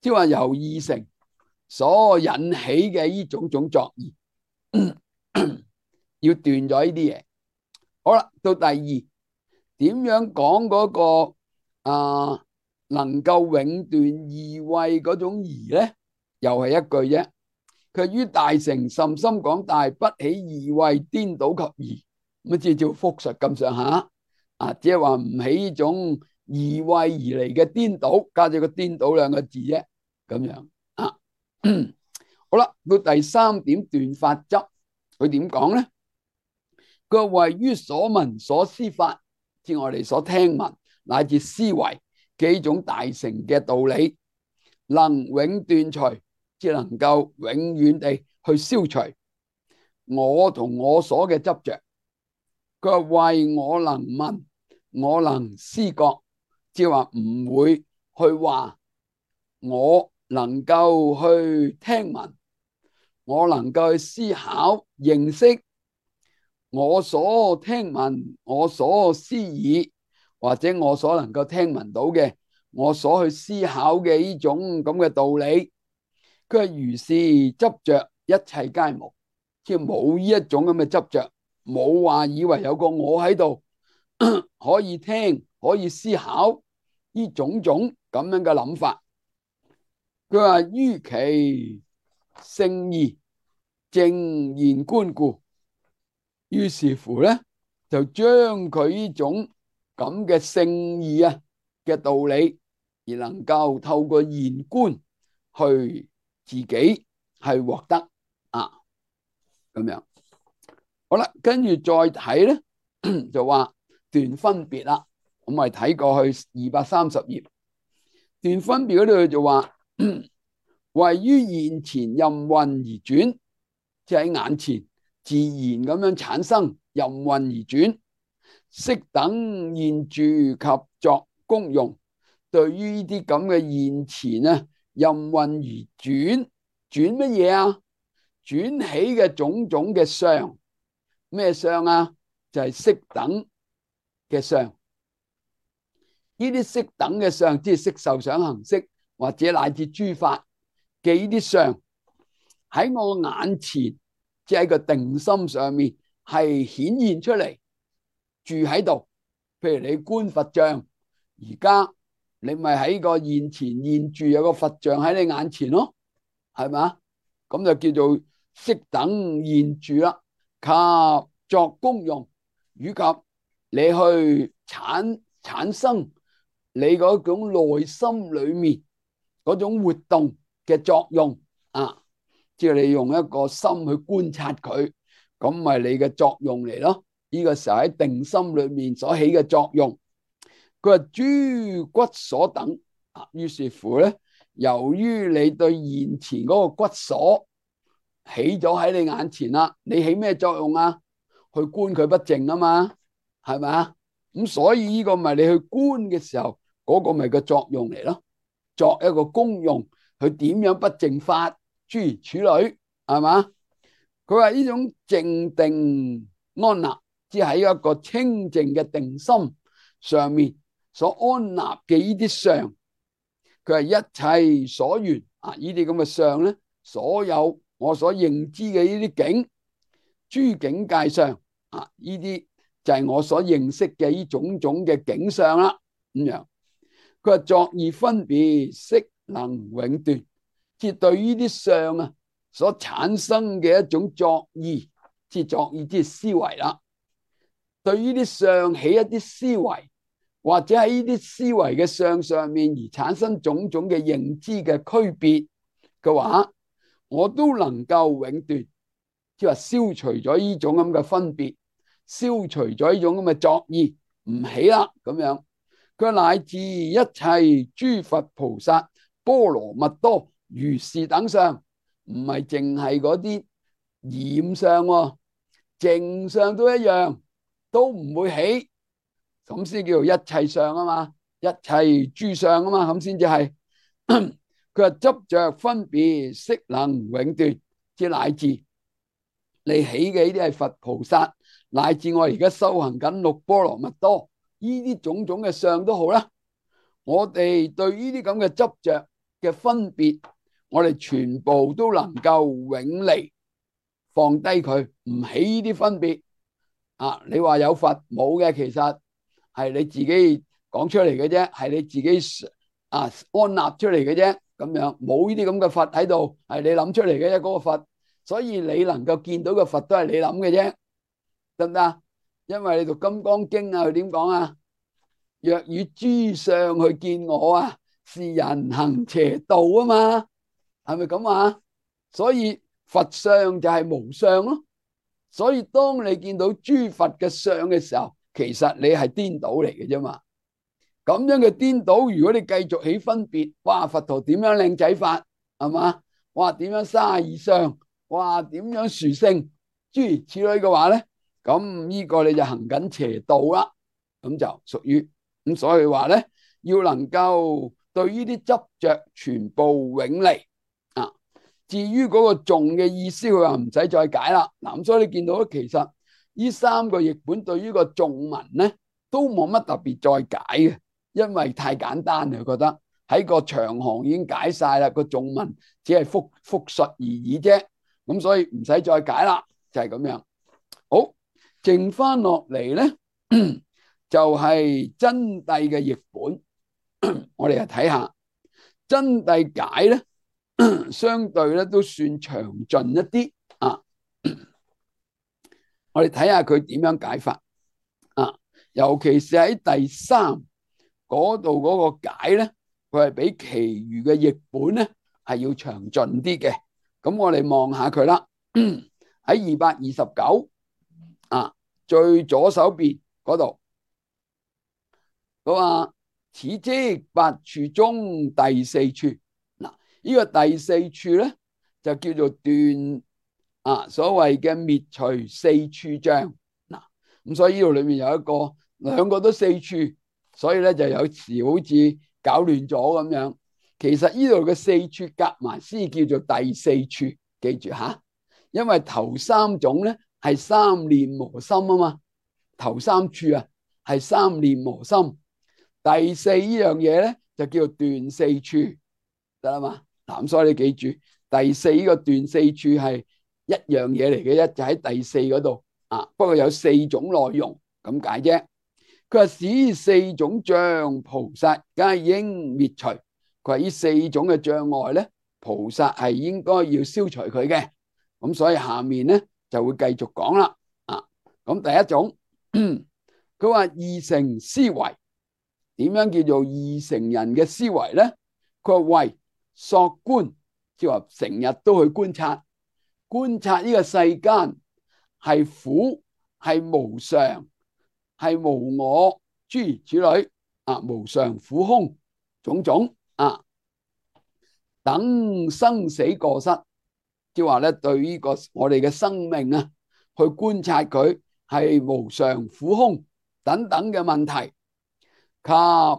即係話由二乘所引起嘅呢種種作意，要斷咗呢啲嘢。好啦，到第二，點樣講嗰個能夠永斷疑慧嗰種疑咧？又係一句啫。佢於大乘甚深廣大，不起疑慧顛倒及疑，咁即係叫複述咁上下即係話唔起呢種疑慧而嚟嘅顛倒，加咗個顛倒兩個字啫，咁樣啊。好啦，到第三點斷法執，佢點講咧？佢話謂於所聞所思法，即我哋所聽聞乃至思維嘅呢種大乘嘅道理，能永斷除，即能夠永遠地去消除我同我所嘅執着。佢話謂我能聞，我能思覺，即係話唔會去話我能夠去聽聞，我能夠去思考認識我所聽聞，我所思議，或者我所能夠聽聞到嘅，我所去思考嘅呢種咁嘅道理。佢係如是執着，一切皆無，即係冇呢一種咁嘅執着，冇話以為有個我喺度可以聽，可以思考呢種種咁樣嘅諗法。佢話於其聖義正言觀故，於是乎咧就將佢呢種咁嘅聖義嘅道理，而能夠透過言觀去自己係獲得咁樣。好啦，跟住再睇咧就話斷分別啦。咁我哋睇過去230頁，斷分別嗰度就話謂於現前任運而轉，即係喺眼前自然咁樣產生，任運而轉，色等現住及作功用。對於呢啲咁嘅現前任運而轉，轉乜嘢啊？轉起嘅種種嘅相，咩相啊？就係色等嘅相。呢啲色等嘅相，即係色受想行識，或者乃至諸法嘅呢啲相，喺我眼前，即係喺個定心上面係顯現出嚟，住喺度。譬如你觀佛像，而家你咪喺個現前現住有個佛像喺你眼前咯，係咪？咁就叫做色等現住啦。及作功用，以及你去產生你嗰種內心裏面嗰種活動嘅作用即係你用一個心去觀察佢，咁咪你嘅作用嚟咯。呢個時候喺定心裏面所起嘅作用。佢話諸骨所等於是乎咧，由於你對現前嗰個骨所起咗喺你眼前啦，你起咩作用啊？去觀佢不淨啊嘛，係咪啊？咁所以呢個咪你去觀嘅時候，嗰個咪個作用嚟咯，作一個功用，佢點樣不淨法，諸如此類，係嘛？佢話呢種靜定安立，即係喺一個清淨嘅定心上面所安立嘅呢啲相，佢係一切所緣呢啲咁嘅相咧，所有我所認知嘅呢啲境，諸境界相呢啲就係我所認識嘅呢種種嘅境相啦。咁樣佢話作意分別，悉能永斷，即係對於呢啲相所產生嘅一種作意，即係作意即係思維啦。對於呢啲相起一啲思維，或者喺呢啲思維嘅相上面而產生種種嘅認知嘅區別嘅話，我都能夠永斷，即係話消除咗呢種咁嘅分別，消除咗呢種咁嘅作意，唔起啦咁樣。佢乃至一切諸佛菩薩波羅蜜多如是等相，唔係淨係嗰啲染相淨相都一樣，都唔會起，咁先叫做一切相啊嘛，一切諸相啊嘛，咁先至係。佢話執着分別，悉能永斷，即乃至你起嘅呢啲係佛菩薩，乃至我而家修行緊六波羅蜜多，呢啲種種嘅相都好啦。我哋對呢啲咁嘅執着嘅分別，我哋全部都能夠永離，放低佢，唔起呢啲分別啊！你話有佛冇嘅，其實係你自己講出嚟嘅啫，係你自己安立出嚟嘅啫。咁樣冇呢啲咁嘅佛喺度，係你諗出嚟嘅啫，嗰個佛。所以你能夠見到嘅佛都係你諗嘅啫，得唔得？因為你讀《金剛經》啊，佢點講啊？若與諸相去見我啊，是人行邪道啊嘛，係咪咁啊？所以佛相就係無相咯。所以當你見到諸佛嘅相嘅時候，其實你係顛倒嚟嘅啫嘛。咁樣嘅顛倒，如果你繼續起分別，哇，佛陀點樣靚仔法，係嘛？哇，點樣32相，哇，點樣殊勝，諸如此類嘅話咧，咁呢個你就行緊邪道啦。咁就屬於咁，所以話咧，要能夠對呢啲執着全部永離啊。至於嗰個頌嘅意思，佢話唔使再解啦。嗱，所以你見到咧，其實呢3個譯本對於個頌文咧都冇乜特別再解嘅，因為太簡單啦，覺得喺個長行已經解晒啦，個頌文只係複述而已啫。咁所以唔使再解啦，就係咁樣。好，剩翻落嚟咧，就係真諦嘅譯本。我哋嚟睇下真諦解咧，相對咧都算詳盡一啲啊。我哋睇下佢點樣解法啊，尤其是喺第3嗰度嗰個解咧，佢係比其餘嘅譯本咧係要詳盡啲嘅。咁我哋望下佢啦，喺229啊，最左手邊嗰度，佢話此即8處中第4處。嗱，呢個第4處咧就叫做斷所謂嘅滅除4處障。嗱，咁所以呢度裏面有兩個都4處，所以咧就有時好似搞亂咗咁樣。其實呢度嘅4處夾埋先叫做第4處，記住吓，因為頭3種咧係三念磨心啊嘛，頭3處啊係三念磨心，第4呢樣嘢咧就叫做斷4處，得啦嘛。嗱，咁所以你記住，第4呢個斷4處係一樣嘢嚟嘅，就喺第4嗰度啊。不過有4種內容咁解啫。佢話使4種障菩薩皆應滅除。佢話呢4種嘅障礙咧，菩薩係應該要消除佢嘅。咁所以下面咧就會繼續講啦。咁第一種，佢話二乘思維，點樣叫做二乘人嘅思維咧？佢話為索觀，即係話成日都去觀察呢個世間係苦，係無常，係無我，諸如此類無常苦空種種等生死過失，即係話咧對呢個我哋嘅生命去觀察佢係無常苦空等等嘅問題，及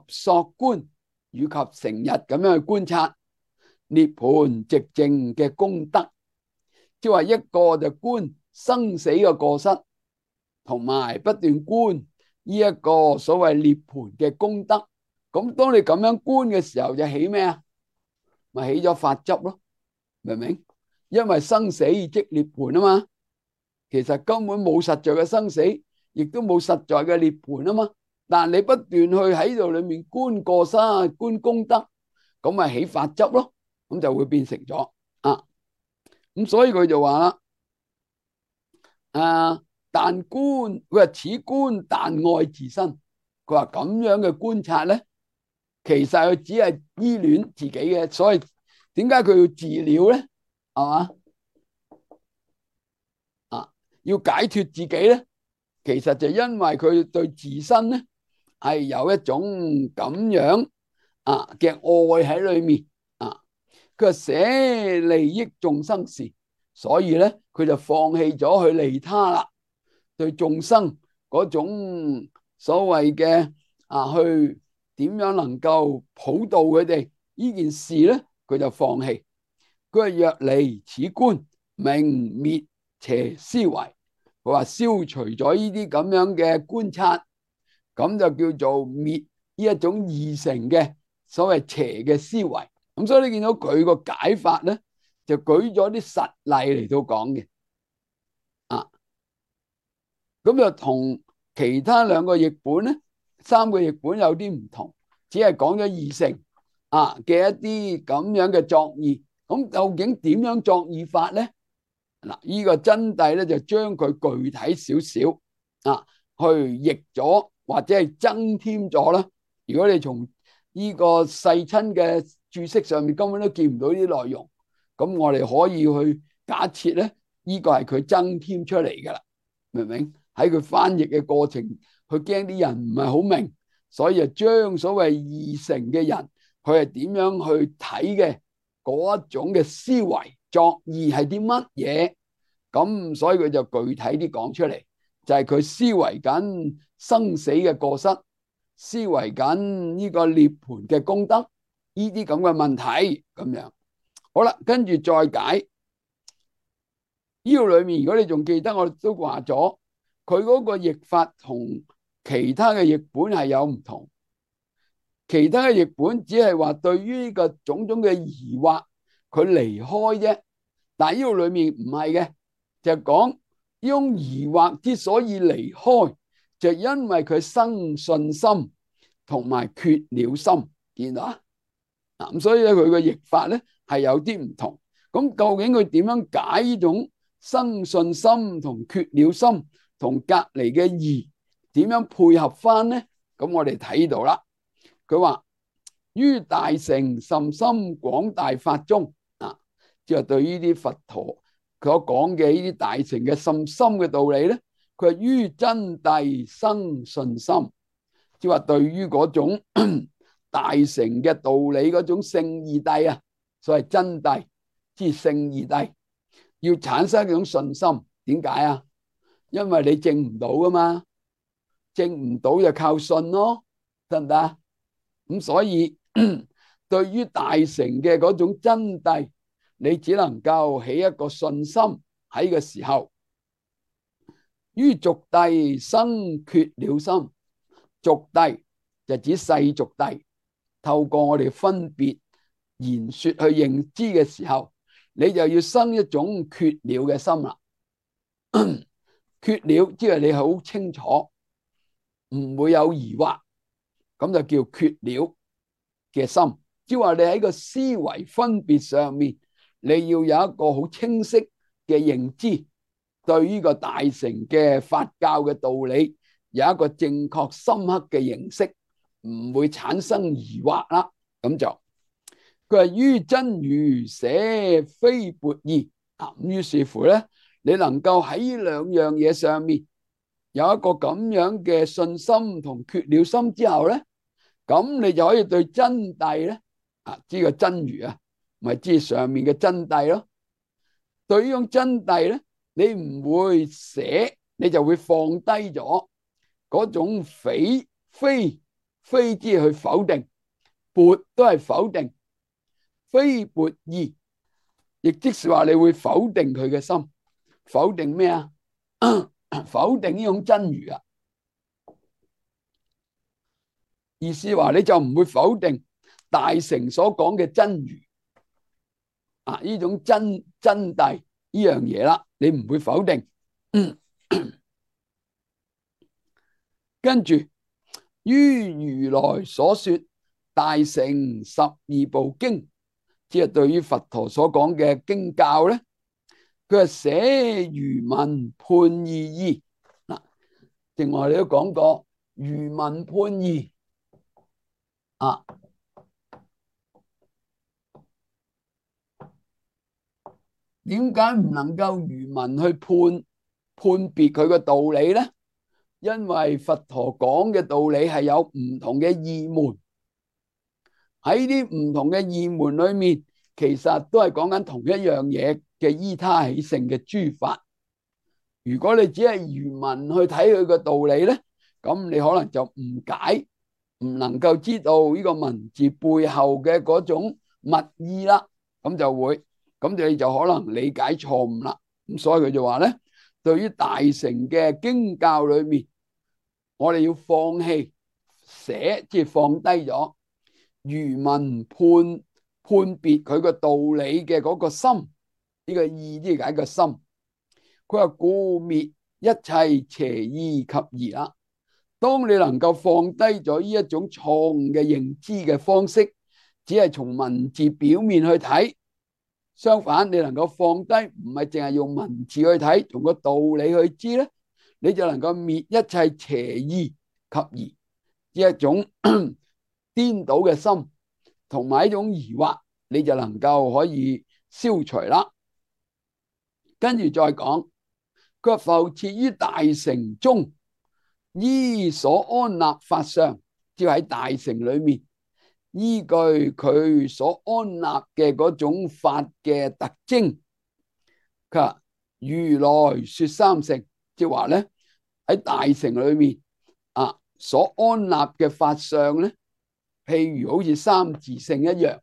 索觀以及成日咁樣去觀察涅槃寂靜嘅功德，即係話一個就觀生死嘅過失，同埋不斷觀呢一個所謂涅槃嘅功德。咁當你咁樣觀嘅時候，就起咩啊？咪起咗法執咯，明唔明？因為生死即涅槃啊嘛，其實根本冇實在嘅生死，亦都冇實在嘅涅槃啊嘛。但你不斷去喺度裏面觀過失、觀功德，咁咪起法執咯，咁就會變成咗咁所以佢就話啦，但觀，佢話此觀但愛自身。佢話咁樣嘅觀察咧，其實佢只係依戀自己嘅，所以點解佢要自了咧？係嘛？要解脫自己咧，其實就因為佢對自身咧係有一種咁樣嘅愛喺裏面佢話捨利益眾生時，所以咧佢就放棄咗去利他啦。對眾生嗰種所謂嘅去點樣能夠普渡佢哋呢件事咧，佢就放棄。佢話若離此觀，名滅邪思維。佢話消除咗呢啲咁樣嘅觀察，咁就叫做滅呢一種二乘嘅所謂邪嘅思維咁所以你見到佢個解法咧，就舉咗啲實例嚟到講嘅。咁就同其他兩個譯本咧，三個譯本有啲唔同，只係講咗二乘嘅一啲咁樣嘅作意。咁究竟點樣作意法咧？嗱，呢個真諦咧就將佢具體少少去譯咗或者係增添咗啦。如果你從呢個世親嘅注釋上面根本都見唔到呢啲內容，咁我哋可以去假設咧，呢個係佢增添出嚟噶啦，明唔明？喺佢翻譯嘅過程，佢驚啲人唔係好明，所以就將所謂二乘嘅人佢係點樣去睇嘅嗰一種嘅思維作意係啲乜嘢，咁所以佢就具體啲講出嚟，就係佢思維緊生死嘅過失，思維緊呢個涅槃嘅功德，呢啲咁嘅問題咁樣。好啦，跟住再解呢個裏面，如果你仲記得，我哋都話咗。佢嗰個譯法同其他嘅譯本係有唔同，其他嘅譯本只係話對於呢個種種嘅疑惑，佢離開啫。但係呢個裏面唔係嘅，就講呢種疑惑之所以離開，就因為佢生信心同埋缺了心，見到啊？咁所以咧，佢嘅譯法咧係有啲唔同。咁究竟佢點樣解呢種生信心同缺了心？同隔離嘅義點樣配合翻呢？咁我哋睇到啦，佢話於大乘甚深廣大法中即係對於啲佛陀所講嘅呢啲大乘嘅甚深嘅道理咧，佢係於真諦生信心，即係話對於嗰種大乘嘅道理嗰種聖義諦啊，所謂真諦即係聖義諦，要產生一種信心。點解啊？因為你證唔到噶嘛，證唔到就靠信咯，得唔得？咁所以對於大乘嘅嗰種真諦，你只能夠起一個信心喺個時候。於俗諦生缺了心，俗諦就指世俗諦，透過我哋分別言說去認知嘅時候，你就要生一種缺了嘅心啦。缺了，即係你好清楚，唔會有疑惑，咁就叫缺了嘅心。即係話你喺個思維分別上面，你要有一個好清晰嘅認知，對於個大乘嘅法教嘅道理有一個正確深刻嘅認識，唔會產生疑惑啦。咁就佢係於真如捨非撥義咁，於是乎咧，你能夠喺呢兩樣嘢上面有一個咁樣嘅信心同缺了心之後咧，咁你就可以對真諦咧知個真如啊，咪知上面嘅真諦咯。對呢種真諦咧，你唔會捨，你就會放低咗嗰種非之去否定，撥都係否定，非撥義，亦即是話你會否定佢嘅心。否定咩啊？否定呢種真如啊！意思話你就唔會否定大乘所講嘅真如呢種真諦呢樣嘢啦，你唔會否定。跟住於如來所說大乘十二部經，即係對於佛陀所講嘅經教咧。佢係捨餘文判義義嗱，正話你都講過餘文判義點解唔能夠餘文去判別佢嘅道理咧？因為佛陀講嘅道理係有唔同嘅義門，喺啲唔同嘅義門裏面，其實都係講緊同一樣嘢嘅依他起性嘅諸法。如果你只係餘文去睇佢個道理咧，咁你可能就誤解，唔能夠知道呢個文字背後嘅嗰種密意啦，咁就會，咁你就可能理解錯誤啦。咁所以佢就話咧，對於大乘嘅經教裏面，我哋要放棄捨，即係放低咗餘文判判別佢個道理嘅嗰個心，呢個意即係解個心。佢話故滅一切邪意及疑啦。當你能夠放低咗呢一種錯誤嘅認知嘅方式，只係從文字表面去睇，相反你能夠放低，唔係淨係用文字去睇，從個道理去知咧，你就能夠滅一切邪意及疑，呢一種顛倒嘅心同埋一種疑惑，你就能夠可以消除啦。跟住再講，佢話復設於大乘中，依所安立法相，即係喺大乘裏面依據佢所安立嘅嗰種法嘅特徵。佢話如來說三乘，即係話咧喺大乘裏面所安立嘅法相咧，譬如好似三自性一樣，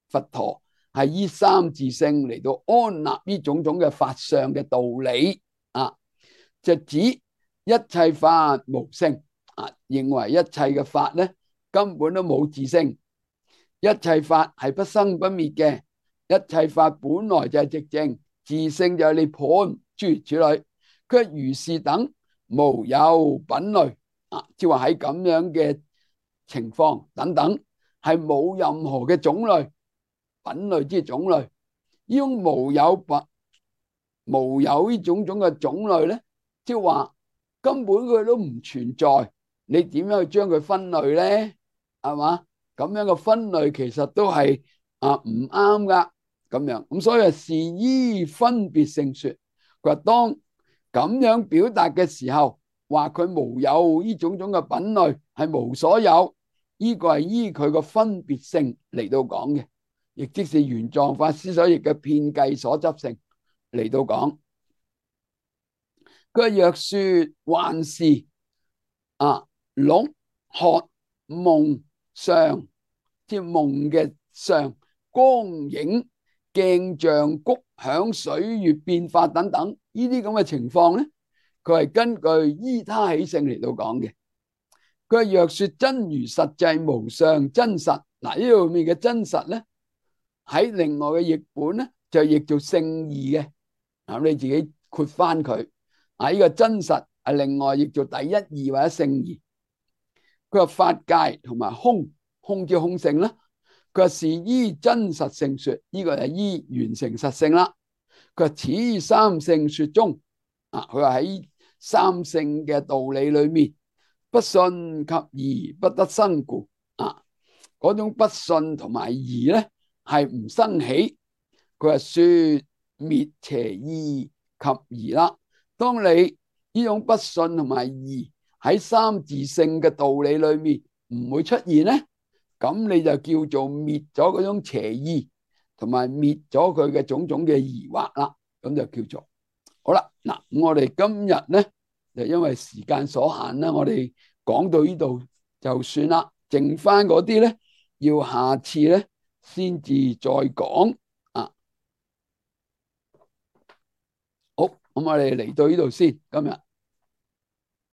佛陀係依三自性嚟到安立呢種種嘅法相嘅道理就指一切法無性認為一切嘅法咧根本都冇自性，一切法係不生不滅嘅，一切法本來就係寂靜，自性就係涅槃，諸如此類。佢如是等無有品類即係話喺咁樣嘅情況等等，係冇任何嘅種類，品類即係種類。呢種無有呢種種嘅種類咧，即係話根本佢都唔存在，你點樣去將佢分類咧？係嘛？咁樣嘅分類其實都係唔啱噶，咁樣咁所以是依分別性說。佢話當咁樣表達嘅時候，話佢無有呢種種嘅品類，係無所有，呢個係依佢個分別性嚟到講嘅，亦即是玄奘法師所譯嘅遍計所執性嚟到講。佢若說幻視癰渴夢相，即係夢嘅相、光影、鏡像、谷響、水月變化等等呢啲咁嘅情況咧，佢係根據依他起性嚟到講嘅。佢若說真如實際無相真實，嗱呢度面嘅真實咧，喺另外嘅譯本咧就譯做聖義嘅，你自己括翻佢呢個真實係另外譯做第一義或者聖義。佢話法界同埋空即空性啦。佢話是依真實性說，呢個係依完成實性啦。佢話此三性說中佢話喺三性嘅道理裏面，不信及疑不得生故嗰種不信同埋疑咧係唔生起。佢話說滅邪意及疑啦。當你呢種不信同埋疑喺三自性嘅道理裏面唔會出現咧，咁你就叫做滅咗嗰種邪意，同埋滅咗佢嘅種種嘅疑惑啦。咁就叫做好啦。嗱，我哋今日咧就因為時間所限啦，我哋講到呢度就算啦。剩翻嗰啲咧，要下次咧先至再講好，咁我哋嚟到呢度先，今日。